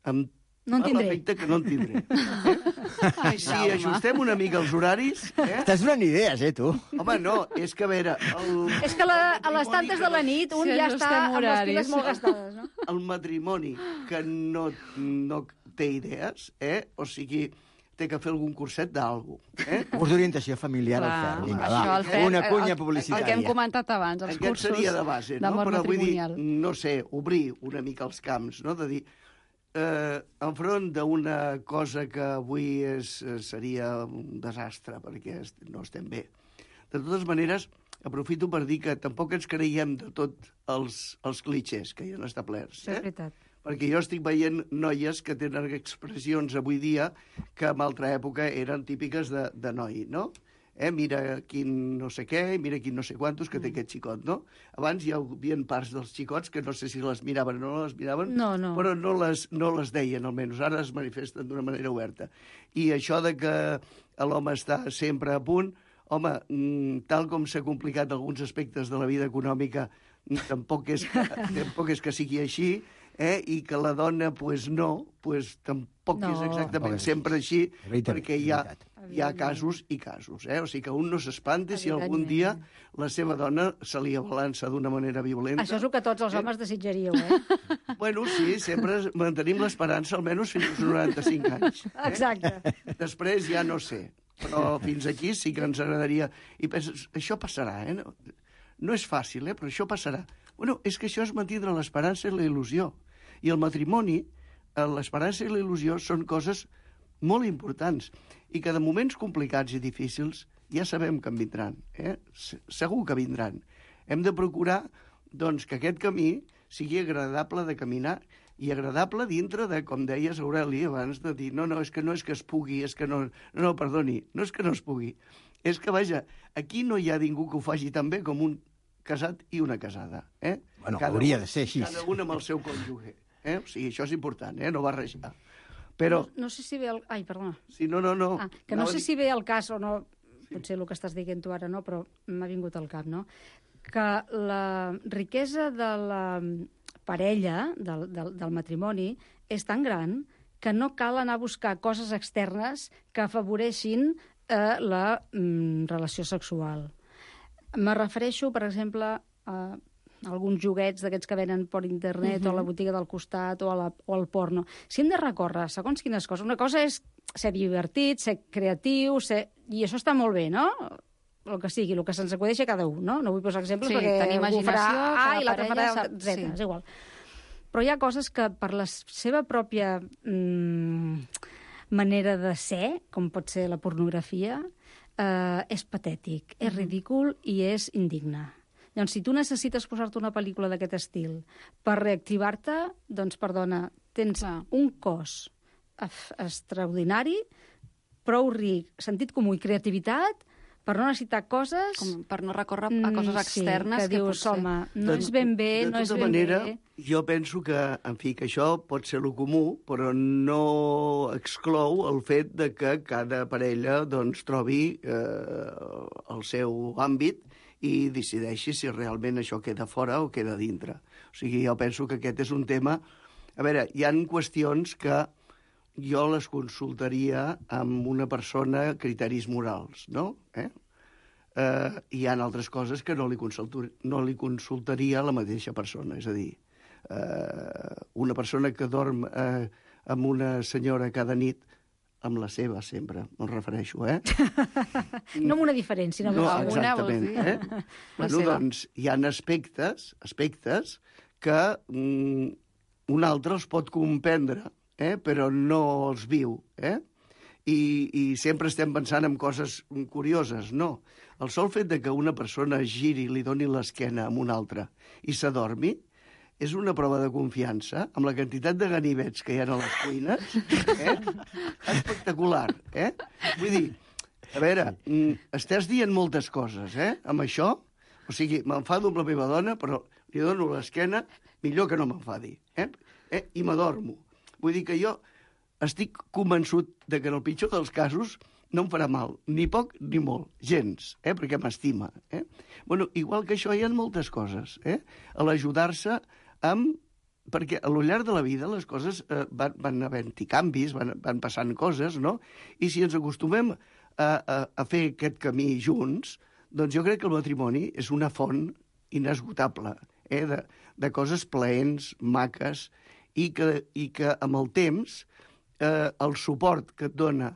em No en fa tindré. l'efecte que no en tindré. Eh? I si ajustem una mica els horaris... Eh? Estàs donant idees, eh, tu? Home, no, és que, a veure... El, És que la, el a les tantes de la nit un Sí, ja ajustem està amb les horaris. piles molt gastades, no? el matrimoni que no, no té idees, eh? O sigui, té que fer algun curset d'algú. Eh? Curs d'orientació familiar al Clar, Fer. Vinga, això, va, el Fer- una el- cunya el- publicitària. El que hem comentat abans, els Aquest cursos seria de base, no? d'amor Però vull dir, matrimonial. no sé, obrir una mica els camps, no? De dir, eh, enfront d'una cosa que avui és, eh, seria un desastre, perquè est no estem bé. De totes maneres, aprofito per dir que tampoc ens creiem de tot els, els clichés que hi han establerts. Això és Eh? veritat. Perquè jo estic veient noies que tenen expressions avui dia que en altra època eren típiques de, de noi, no? Eh, mira quin no sé què, mira quin no sé quantos que té aquest xicot, no? Abans hi havia parts dels xicots que no sé si les miraven o no les miraven, No, no. però no les, no les deien, almenys. Ara es manifesten d'una manera oberta. I això de que l'home està sempre a punt, home, mm, tal com s'ha complicat alguns aspectes de la vida econòmica, mm, tampoc és que, tampoc és que sigui així, eh? I que la dona, pues no, pues tampoc No. és exactament Tampoc és sempre així, És veritat, perquè és hi ha, veritat. hi ha casos i casos, eh? O sigui que un no s'espanti si algun Evidentment. dia la seva dona se li abalança d'una manera violenta. Això és el que tots els homes desitjaríeu, eh? Bueno, sí, sempre mantenim l'esperança almenys fins als noranta-cinc anys. Eh? Exacte. Després ja no sé, però fins aquí sí que ens agradaria... I penses, això passarà, eh? No, no és fàcil, eh? Però això passarà. Bueno, és que això és mantindre l'esperança i la il·lusió. I el matrimoni, eh, l'esperança i la il·lusió són coses molt importants i que de moments complicats i difícils ja sabem que en vindran, eh? Se- Segur que vindran. Hem de procurar, doncs, que aquest camí sigui agradable de caminar i agradable dintre de, com deies, Aureli, abans de dir, no, no, és que no és que es pugui, és que no... No, no, perdoni, no és que no es pugui. És que, vaja, aquí no hi ha ningú que ho faci tan bé com un casat i una casada, eh? Bueno, hauria de ser així. Cada un amb el seu cònjuge, eh? O sigui, això és important, eh? No barrejar. Però, No, no sé si ve el... Ai, perdona. si no, no, no... Ah, que no Anava a sé dir- si ve el cas o no, potser el que estàs dient tu ara no, però m'ha vingut al cap, no? Que la riquesa de la parella, del, del, del matrimoni, és tan gran que no cal anar a buscar coses externes que afavoreixin eh, la mm, relació sexual. Me refereixo, per exemple, a alguns joguets d'aquests que venen per internet uh -huh. o a la botiga del costat o, a la, o al porno. Si hem de recórrer segons quines coses, una cosa és ser divertit, ser creatiu, ser... i això està molt bé, no? El que sigui, el que se'ns acudeixi a cada un, no? No vull posar exemples Sí, perquè tenir algú farà imaginació, A cada i l'altre parella farà sap- Z, sí. és igual. Però hi ha coses que per la seva pròpia mm, manera de ser, com pot ser la pornografia, eh, és patètic, és ridícul i és indigne. Llavors, si tu necessites posar-te una pel·lícula d'aquest estil per reactivar-te, doncs, perdona, tens Clar. un cos extraordinari, prou ric, sentit comú i creativitat per no necessitar coses... Com per no recórrer a coses externes sí, que, que dius, potser... home, no és ben bé, de no és tota ben manera, bé... jo penso que, en fi, que això pot ser lo comú, però no exclou el fet de que cada parella doncs, trobi eh, el seu àmbit i decideixi si realment això queda fora o queda dintre. O sigui, jo penso que aquest és un tema... A veure, hi han qüestions que jo les consultaria amb una persona criteris morals, no? Eh? Eh, hi ha altres coses que no li, no li consultaria a la mateixa persona. És a dir, eh, una persona que dorm eh, amb una senyora cada nit, amb la seva sempre, me'n refereixo, eh? No amb una diferència, sinó no, amb alguna, exactament, eh? Bueno, doncs, hi ha aspectes, aspectes que mm, un altre els pot comprendre, eh? Però no els viu, eh? I, i sempre estem pensant en coses curioses. No. El sol fet de que una persona giri, li doni l'esquena a una altra i s'adormi, és una prova de confiança amb la quantitat de ganivets que hi ha a les cuines, eh? Espectacular, eh? Vull dir, a veure, estàs dient moltes coses, eh? Amb això, o sigui, m'enfado amb la meva dona, però li dono l'esquena, millor que no m'enfadi, eh? eh? I m'adormo. Vull dir que jo estic convençut de que en el pitjor dels casos no em farà mal, ni poc ni molt, gens, eh? Perquè m'estima. Eh? Bueno, igual que això hi ha moltes coses, eh? A l'ajudar-se amb... Perquè a lo llarg de la vida les coses eh, van, van havent-hi canvis, van, van passant coses, no? I si ens acostumem a, a, a fer aquest camí junts, doncs jo crec que el matrimoni és una font inesgotable, eh? de, de coses plaents, maques, i que, i que amb el temps eh, el suport que et dona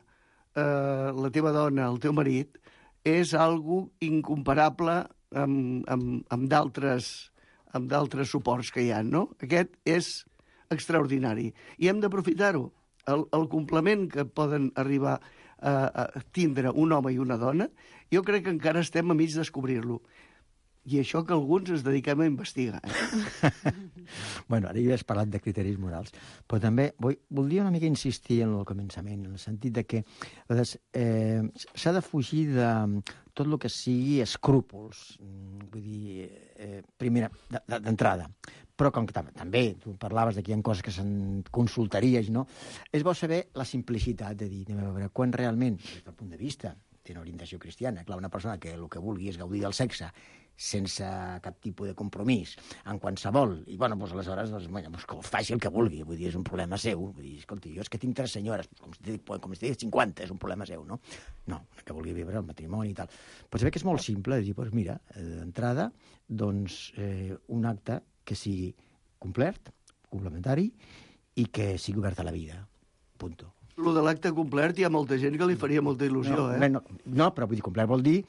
eh, la teva dona, el teu marit, és algo incomparable amb, amb, amb d'altres amb d'altres suports que hi ha, no? Aquest és extraordinari. I hem d'aprofitar-ho. El, el complement que poden arribar a, a tindre un home i una dona, jo crec que encara estem a mig de descobrir-lo. I això que alguns ens dediquem a investigar. Eh? Bueno, ara ja has parlat de criteris morals, però també vull, voldria una mica insistir en el començament, en el sentit de que eh, s'ha de fugir de tot el que sigui escrúpols, vull dir, eh, primera, d'entrada. Però com que també tu parlaves de que hi ha coses que se'n consultaries, no? És bo saber la simplicitat de dir, anem a veure, quan realment, des del punt de vista, té una orientació cristiana, clar, una persona que el que vulgui és gaudir del sexe sense cap tipus de compromís, en qualsevol, i bueno, doncs aleshores, doncs, bueno, doncs que faci el que vulgui, vull dir, és un problema seu, vull dir, escolti, jo és que tinc tres senyores, com si com si tinc cinquanta, és un problema seu, no? No, que vulgui viure el matrimoni i tal. Però se ve que és molt simple, dir, doncs mira, d'entrada, doncs, eh, un acte que sigui complet, complementari, i que sigui obert a la vida, punto. Lo de l'acte complet hi ha molta gent que li faria molta il·lusió, no, eh? No, no, però vull dir, complet vol dir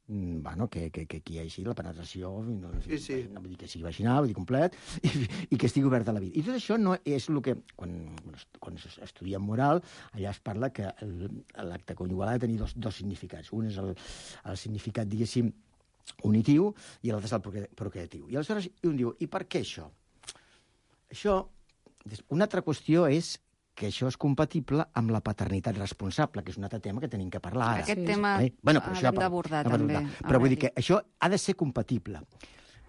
bueno, que, que, que hi hagi la penetració, no, sí, sí. no vull dir que sigui vaginal, vull dir complet, i, i que estigui obert a la vida. I tot això no és el que, quan, quan estudiem moral, allà es parla que l'acte conyugal ha de tenir dos, dos significats. Un és el, el significat, diguéssim, unitiu, i l'altre és el procreatiu. I aleshores un diu, i per què això? Això, una altra qüestió és que això és compatible amb la paternitat responsable, que és un altre tema que tenim que parlar ara. Aquest tema eh? bueno, l'hem d'abordar, també. Però vull dir que això ha de ser compatible.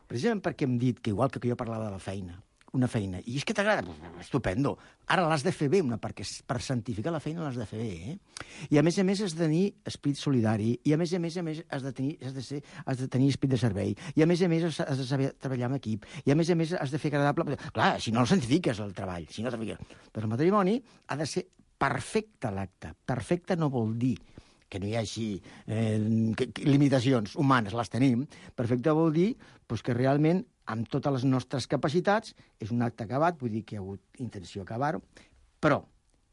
Precisament perquè hem dit que, igual que jo parlava de la feina, una feina, i és que t'agrada, estupendo. Ara l'has de fer bé, una, perquè per santificar la feina l'has de fer bé, eh? I a més a més has de tenir esprit solidari, i a més a més a més has de tenir, has de ser, has de tenir esprit de servei, i a més a més has de saber treballar en equip, i a més a més has de fer agradable... Clar, si no el santifiques, el treball, si no Però el matrimoni ha de ser perfecte l'acte. Perfecte no vol dir que no hi hagi eh, que, que, limitacions humanes, les tenim. Perfecte vol dir pues, que realment, amb totes les nostres capacitats, és un acte acabat, vull dir que hi ha hagut intenció d'acabar-ho, però,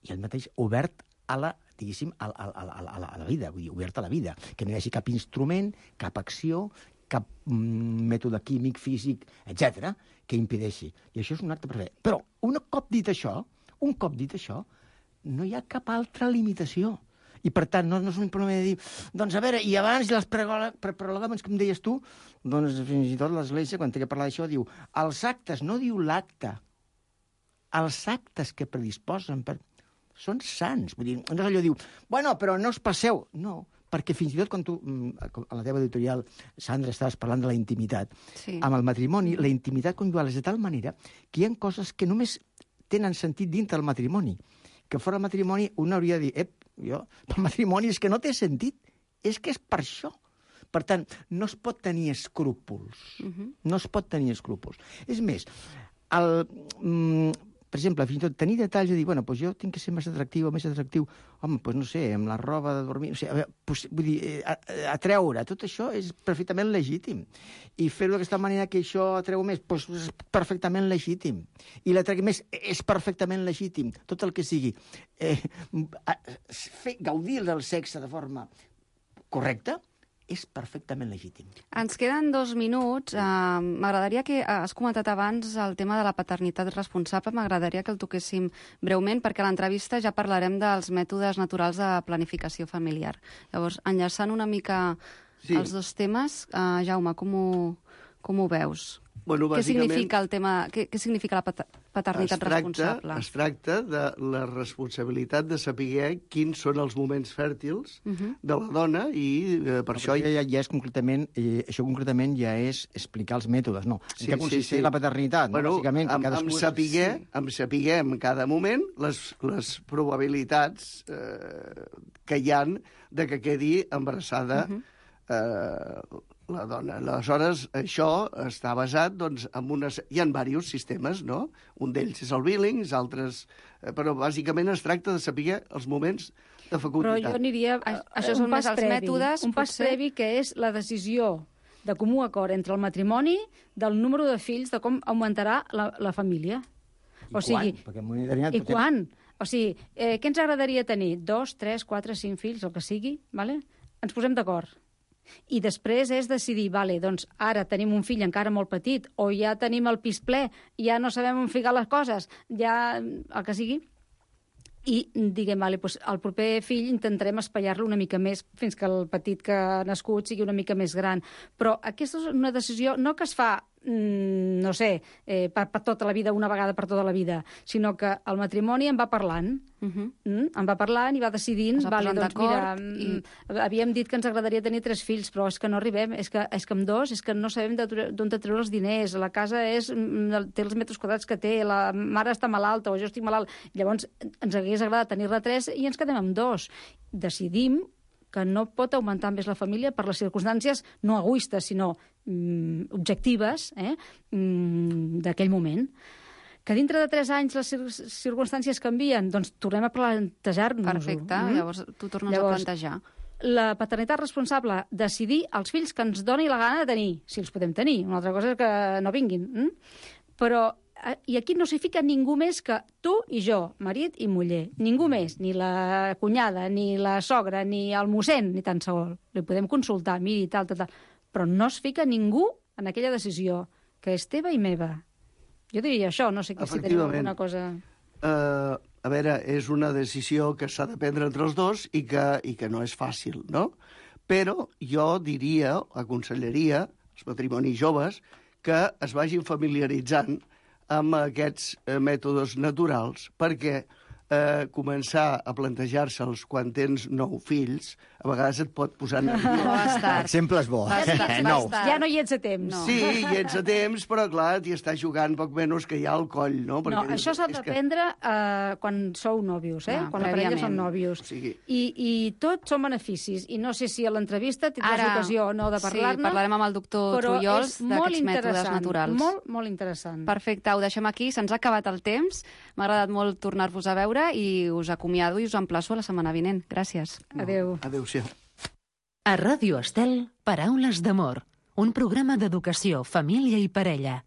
i el mateix, obert a la, diguéssim, a, a, a, a, a, la, a la vida, vull dir, obert a la vida, que no hi hagi cap instrument, cap acció, cap mm, mètode químic, físic, etcètera, que impedeixi. I això és un acte perfecte. Però, un cop dit això, un cop dit això, no hi ha cap altra limitació. I, per tant, no, no és un problema de dir, doncs, a veure, i abans les prologàmens que em deies tu, doncs, fins i tot l'Església, quan té que parlar d'això, diu, els actes, no diu l'acte, els actes que predisposen per... són sants. Vull dir, no és allò diu, bueno, però no us passeu. No, perquè fins i tot quan tu, a la teva editorial, Sandra, estaves parlant de la intimitat, Sí. amb el matrimoni, la intimitat conjugal és de tal manera que hi ha coses que només tenen sentit dintre del matrimoni, que fora del matrimoni un hauria de dir, ep, jo, el matrimoni és que no té sentit, és que és per això. Per tant, no es pot tenir escrúpols. Uh-huh. No es pot tenir escrúpols. És més, el, mm, per exemple, fins i tot tenir detalls de dir, bueno, doncs jo tinc que ser més atractiu o més atractiu, home, doncs no sé, amb la roba de dormir, no sé, a veure, doncs, vull dir, a, a treure, tot això és perfectament legítim. I fer-ho d'aquesta manera que això atreu més, doncs és perfectament legítim. I l'atregui més és perfectament legítim. Tot el que sigui eh, fer, gaudir del sexe de forma correcta, és perfectament legítim. Ens queden dos minuts. Uh, M'agradaria que, uh, has comentat abans el tema de la paternitat responsable, m'agradaria que el toquéssim breument, perquè a l'entrevista ja parlarem dels mètodes naturals de planificació familiar. Llavors, enllaçant una mica Sí. els dos temes, uh, Jaume, com ho, com ho veus? Bueno, Què bàsicament, significa el tema, què, què significa la pater- paternitat es tracta, responsable? es tracta de la responsabilitat de saber quins són els moments fèrtils Uh -huh. de la dona i eh, per això... Ja, ja és concretament, eh, això concretament ja és explicar els mètodes, no? Sí, en què sí, consisteix sí. la paternitat? Bueno, no? Bàsicament, que amb, cadascú amb, és- saber, sí. amb saber en cada moment les, les probabilitats eh, que hi han de que quedi embarassada Uh-huh. eh, la dona. Aleshores, això està basat doncs, en unes... Hi ha diversos sistemes, no? Un d'ells és el Billings, altres... eh, Però bàsicament es tracta de saber els moments de Però fecunditat. jo aniria... A- eh, això un són pas més els previ, mètodes, Un pas potser? previ que és la decisió de comú acord entre el matrimoni del número de fills, de com augmentarà la, la família. I quan? Perquè en un determinat I potem- quan? O sigui, eh, què ens agradaria tenir? Dos, tres, quatre, cinc fills, el que sigui, vale? Ens posem d'acord. I després és decidir, vale, doncs ara tenim un fill encara molt petit, o ja tenim el pis ple, ja no sabem on ficar les coses, ja el que sigui, i diguem, vale, doncs el proper fill intentarem espaiar-lo una mica més fins que el petit que ha nascut sigui una mica més gran. Però aquesta és una decisió no que es fa mm, no sé, eh, per, per tota la vida, una vegada per tota la vida, sinó que el matrimoni en va parlant, Uh -huh. mm, en va parlant i va decidint, Es va vale, posant doncs mira, d'acord i... havíem dit que ens agradaria tenir tres fills, però és que no arribem, és que, és que amb dos és que no sabem d'on de treure els diners, la casa és, mm, té els metres quadrats que té, la mare està malalta o jo estic malalt, llavors ens hagués agradat tenir-ne tres i ens quedem amb dos. Decidim que no pot augmentar més la família per les circumstàncies no egoistes, sinó mm, objectives eh, mm, d'aquell moment. Que dintre de tres anys les cir circumstàncies canvien, doncs tornem a plantejar-nos-ho. Perfecte, mm? Llavors tu tornes Llavors, a plantejar. La paternitat responsable, decidir els fills que ens doni la gana de tenir, si els podem tenir. Una altra cosa és que no vinguin. Mm? Però, i aquí no s'hi fica ningú més que tu i jo, marit i muller. Ningú més, ni la cunyada, ni la sogra, ni el mossèn, ni tan sol. Li podem consultar, miri, tal, tal, tal. Però no es fica ningú en aquella decisió, que és teva i meva. Jo diria això, no sé si tenim alguna cosa... Uh, a veure, és una decisió que s'ha de prendre entre els dos i que, i que no és fàcil, no? Però jo diria, aconsellaria als matrimonis joves que es vagin familiaritzant amb aquests eh, mètodes naturals perquè eh, començar a plantejar-se'ls quan tens nou fills, a vegades et pot posar nerviós. L'exemple és bo. Bastant, Nou. bastant. Ja no hi ets a temps. No. Sí, i ets a temps, però clar, t'hi estàs jugant poc menys que hi ha al coll, no? No, dius, això s'ha és de que- prendre eh, quan sou nòvios, eh? Ah, quan la parella prèviament. són nòvios. O sigui- I, I tot són beneficis. I no sé si a l'entrevista tindràs Ara, l'ocasió o no de parlar-ne. Sí, parlarem amb el doctor però Trullols és molt d'aquests mètodes interessant, naturals. Molt, molt interessant. Perfecte, ho deixem aquí, se'ns ha acabat el temps. M'ha agradat molt tornar-vos a veure i us acomiado i us emplaço a la setmana vinent. Gràcies. Adéu. Adéu-siau. A Ràdio Estel, Paraules d'amor, un programa d'educació, família i parella.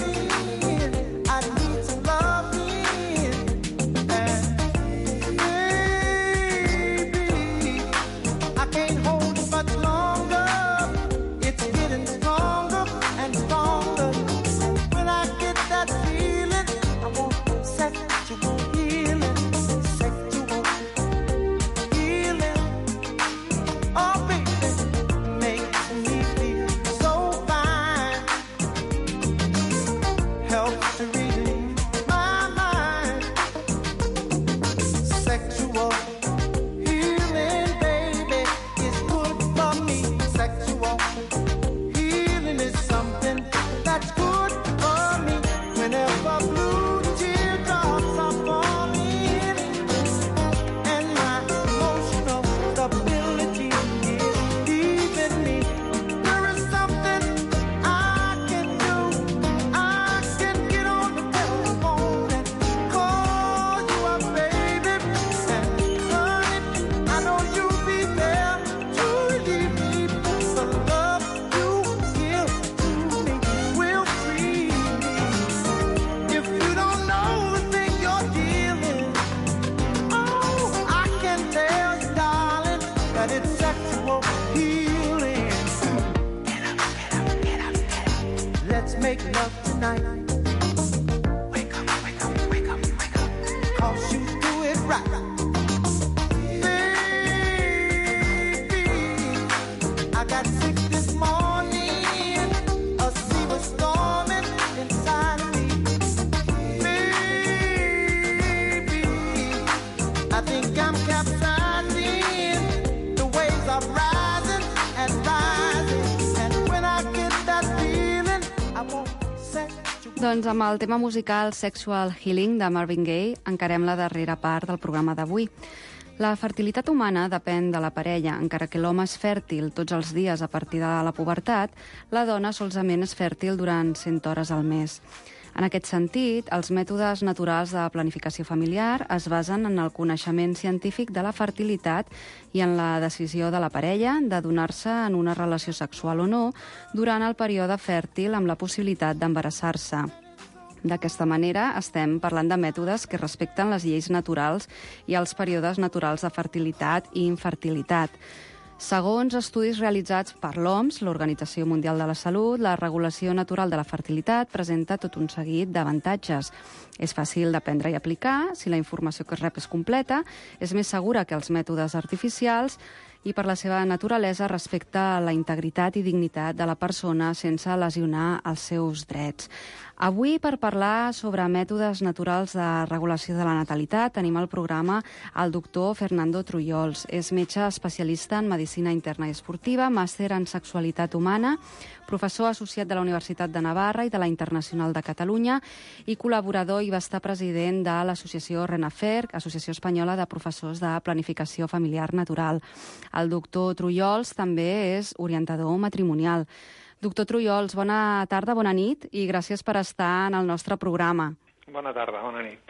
I need some loving, and that it's sexual healing. Get up, get up, get up, get up. Let's make love tonight. Wake up, wake up, wake up, wake up. 'Cause you do it right. Baby, I got sick this morning. A sea was storming inside of me. Baby, I think I'm capsizing. The waves are rising and rising. And when I get that feeling, I won't set you. Doncs amb el tema musical Sexual Healing de Marvin Gaye encarem la darrera part del programa d'avui. La fertilitat humana depèn de la parella. Encara que l'home és fèrtil tots els dies a partir de la pubertat, la dona solament és fèrtil durant cent hores al mes. En aquest sentit, els mètodes naturals de planificació familiar es basen en el coneixement científic de la fertilitat i en la decisió de la parella de donar-se en una relació sexual o no durant el període fèrtil amb la possibilitat d'embarassar-se. D'aquesta manera, estem parlant de mètodes que respecten les lleis naturals i els períodes naturals de fertilitat i infertilitat. Segons estudis realitzats per l'O M S, l'Organització Mundial de la Salut, la regulació natural de la fertilitat presenta tot un seguit d'avantatges. És fàcil d'aprendre i aplicar, si la informació que es rep és completa, és més segura que els mètodes artificials i per la seva naturalesa respecta la integritat i dignitat de la persona sense lesionar els seus drets. Avui, per parlar sobre mètodes naturals de regulació de la natalitat, tenim al programa el doctor Fernando Trullols. És metge especialista en medicina interna i esportiva, màster en sexualitat humana, professor associat de la Universitat de Navarra i de la Internacional de Catalunya i col·laborador i va estar president de l'associació RENAFER, Associació Espanyola de Professors de Planificació Familiar Natural. El doctor Trullols també és orientador matrimonial. Doctor Trullols, bona tarda, bona nit i gràcies per estar en el nostre programa. Bona tarda, bona nit.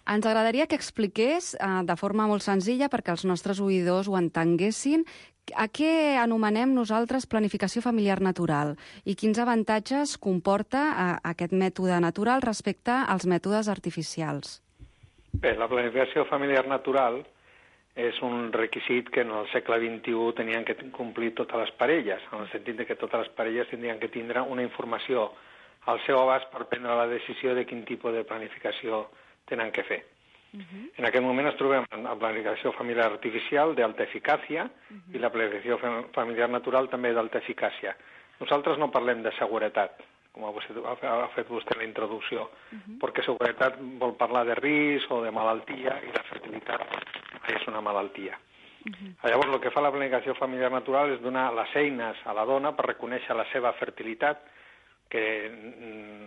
Ens agradaria que expliqués eh, de forma molt senzilla perquè els nostres oïdors ho entenguessin a què anomenem nosaltres planificació familiar natural i quins avantatges comporta eh, aquest mètode natural respecte als mètodes artificials. Bé, la planificació familiar natural és un requisit que en el segle vint-i-u tenien que complir totes les parelles, en el sentit que totes les parelles tindrien que tindre una informació al seu abast per prendre la decisió de quin tipus de planificació tenen que fer. Uh-huh. En aquest moment ens trobem en la planificació familiar artificial d'alta eficàcia uh-huh. i la planificació familiar natural també d'alta eficàcia. Nosaltres no parlem de seguretat, com ha fet vostè en la introducció, uh-huh. perquè seguretat vol parlar de risc o de malaltia i la fertilitat és una malaltia. Uh-huh. Llavors, el que fa la planificació familiar natural és donar les eines a la dona per reconèixer la seva fertilitat, que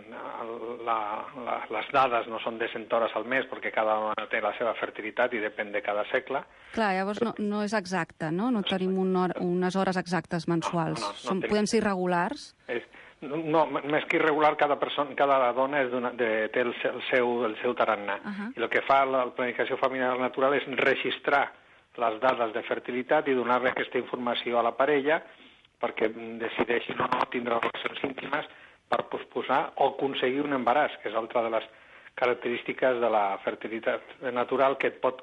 la, la, les dades no són de cent hores al mes perquè cada dona té la seva fertilitat i depèn de cada segle. Clar, llavors no, no és exacte, no? No tenim un hora, unes hores exactes mensuals. No, no, no, Som, no podem ser irregulars? És, no, més que irregular, cada, persona, cada dona és de, té el, el, seu, el seu tarannà. Uh-huh. I el que fa la planificació familiar natural és registrar les dades de fertilitat i donar-li aquesta informació a la parella perquè decideixin o no tindre relacions íntimes per posposar o aconseguir un embaràs, que és altra de les característiques de la fertilitat natural que et pot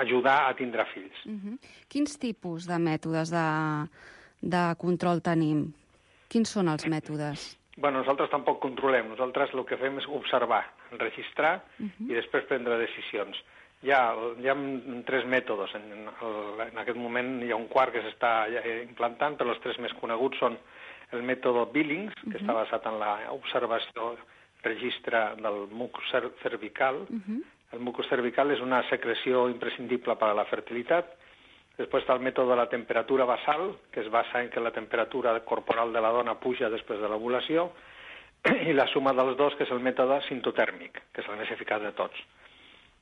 ajudar a tindre fills. Uh-huh. Quins tipus de mètodes de, de control tenim? Quins són els mètodes? Bueno, nosaltres tampoc controlem. Nosaltres el que fem és observar, registrar uh-huh. i després prendre decisions. Hi ha, hi ha tres mètodes. En, el, en aquest moment hi ha un quart que s'està implantant, però els tres més coneguts són el mètode Billings, que uh-huh. està basat en l'observació, registre del mucus cervical. Uh-huh. El mucus cervical és una secreció imprescindible per a la fertilitat. Després està el mètode de la temperatura basal, que es basa en que la temperatura corporal de la dona puja després de l'ovulació, i la suma dels dos, que és el mètode sintotèrmic, que és el més eficaç de tots.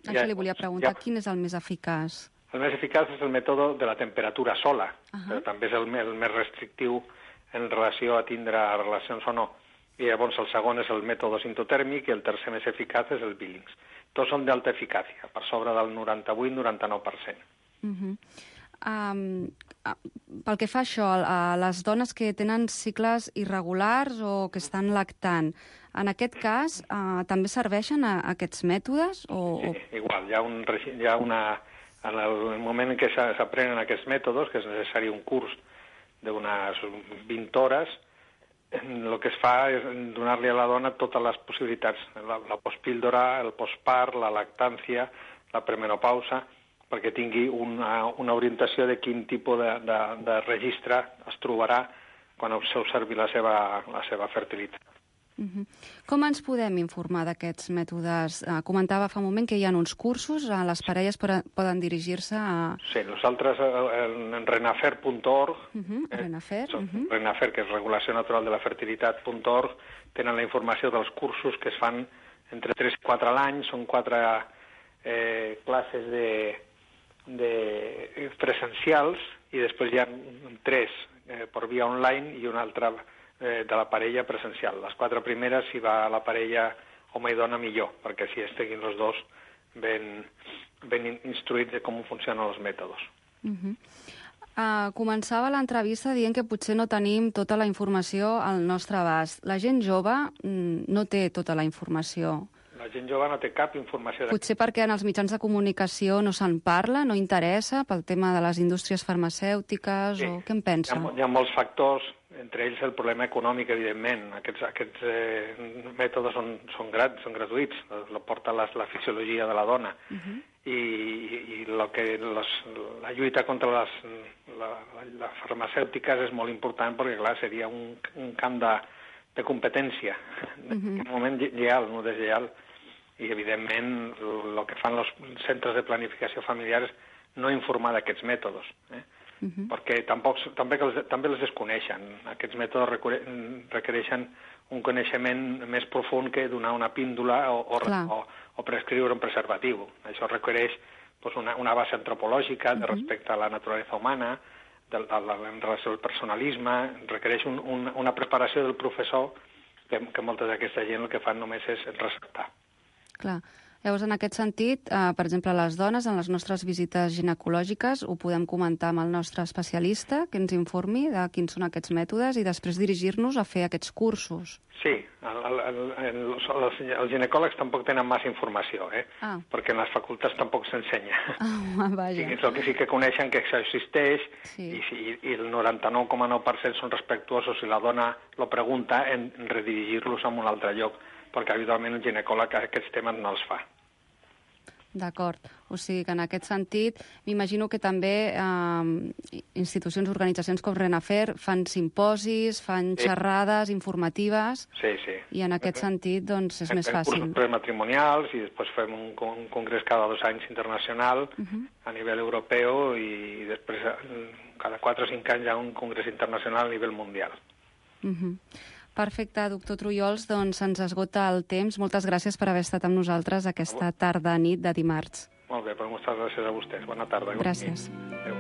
Això ja, li volia preguntar, ja, quin és el més eficaç? El més eficaç és el mètode de la temperatura sola, uh-huh. però també és el, el més restrictiu en relació a tindre relacions o no. I llavors el segon és el mètode sintotèrmic i el tercer més eficaç és el Billings. Tots són d'alta eficàcia, per sobre del noranta-vuit noranta-nou per cent. Uh-huh. Um, pel que fa a això, a les dones que tenen cicles irregulars o que estan lactant, en aquest cas uh, també serveixen a, a aquests mètodes? O, sí, igual, hi ha, un, hi ha una En el moment en què s'aprenen aquests mètodes, que és necessari un curs d'unes vint hores, el que es fa és donar-li a la dona totes les possibilitats, la, la postpíldora, el postpart, la lactància, la premenopausa, perquè tingui una, una orientació de quin tipus de, de, de registre es trobarà quan s'observi la seva, la seva fertilitat. Uh-huh. Com ens podem informar d'aquests mètodes? Uh, comentava fa un moment que hi ha uns cursos, uh, les parelles poden, poden dirigir-se a... Sí, nosaltres en renafer punt org, uh-huh, eh, Renafer, uh-huh. Renafer, que és Regulació Natural de la Fertilitat punt org, tenen la informació dels cursos que es fan entre tres i quatre a l'any, són quatre eh, classes de, de presencials i després hi ha tres eh, per via online i una altra de la parella presencial. Les quatre primeres, si va la parella home i dona, millor, perquè si estiguin els dos ben, ben instruïts de com funcionen els mètodes. Uh-huh. uh, començava l'entrevista dient que potser no tenim tota la informació al nostre abast. La gent jove mm, no té tota la informació. La gent jove no té cap informació. Potser perquè en els mitjans de comunicació no se'n parla, no interessa, pel tema de les indústries farmacèutiques, sí. O què en pensa? Hi ha, hi ha molts factors, entre ells el problema econòmic, evidentment. Aquests, aquests eh, mètodes són, són, grat, són gratuïts, la porta la, la fisiologia de la dona. Uh-huh. I, i lo que los, la lluita contra les la, la farmacèutiques és molt important perquè, clar, seria un, un camp de, de competència, uh-huh. En un moment lleial, no deslleial. I, evidentment, el que fan els centres de planificació familiar és no informar d'aquests mètodes, eh? Uh-huh. Perquè tampoc, també, els, també els desconeixen. Aquests mètodes requereixen un coneixement més profund que donar una píndola o, o, o, o prescriure un preservatiu. Això requereix pues, una, una base antropològica de respecte a la naturalesa humana, de, de, de, en relació al personalisme, requereix un, un, una preparació del professor que, que molta d'aquesta gent el que fan només és receptar. Clar. Llavors, en aquest sentit, eh, per exemple, les dones, en les nostres visites ginecològiques, ho podem comentar amb el nostre especialista, que ens informi de quins són aquests mètodes i després dirigir-nos a fer aquests cursos. Sí, el, el, el, el, els, els ginecòlegs tampoc tenen massa informació, eh? Ah. Perquè en les facultats tampoc s'ensenya. Ah, vaja. Sí, el que sí que coneixen que això existeix, sí. i, i, i el noranta-nou coma nou per cent són respectuosos si la dona lo pregunta en redirigir-los a un altre lloc, perquè habitualment el ginecòleg aquests temes no els fa. D'acord. O sigui que en aquest sentit m'imagino que també eh, institucions, organitzacions com Renafer fan simposis, fan sí. xerrades informatives sí, sí. I en aquest sentit doncs, és fem, més fàcil. Fem cursos prematrimonials i després fem un, un congrés cada dos anys internacional uh-huh. a nivell europeu i després cada quatre o cinc anys hi ha un congrés internacional a nivell mundial. Uh-huh. Perfecte, doctor Trullols, doncs ens esgota el temps. Moltes gràcies per haver estat amb nosaltres aquesta tarda-nit de dimarts. Molt bé, doncs moltes gràcies a vostès. Bona tarda. Gràcies. Adéu.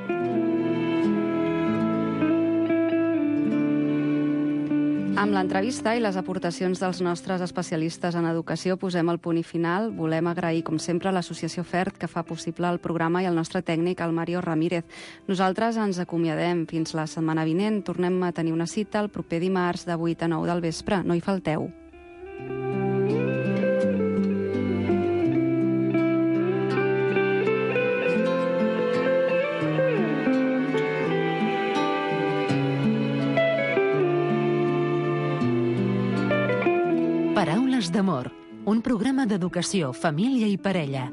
Amb l'entrevista i les aportacions dels nostres especialistes en educació posem el punt i final. Volem agrair, com sempre, a l'Associació FERT, que fa possible el programa, i al nostre tècnic, el Mario Ramírez. Nosaltres ens acomiadem fins la setmana vinent. Tornem a tenir una cita el proper dimarts de vuit a nou del vespre. No hi falteu. Paraules d'amor, un programa d'educació, família i parella,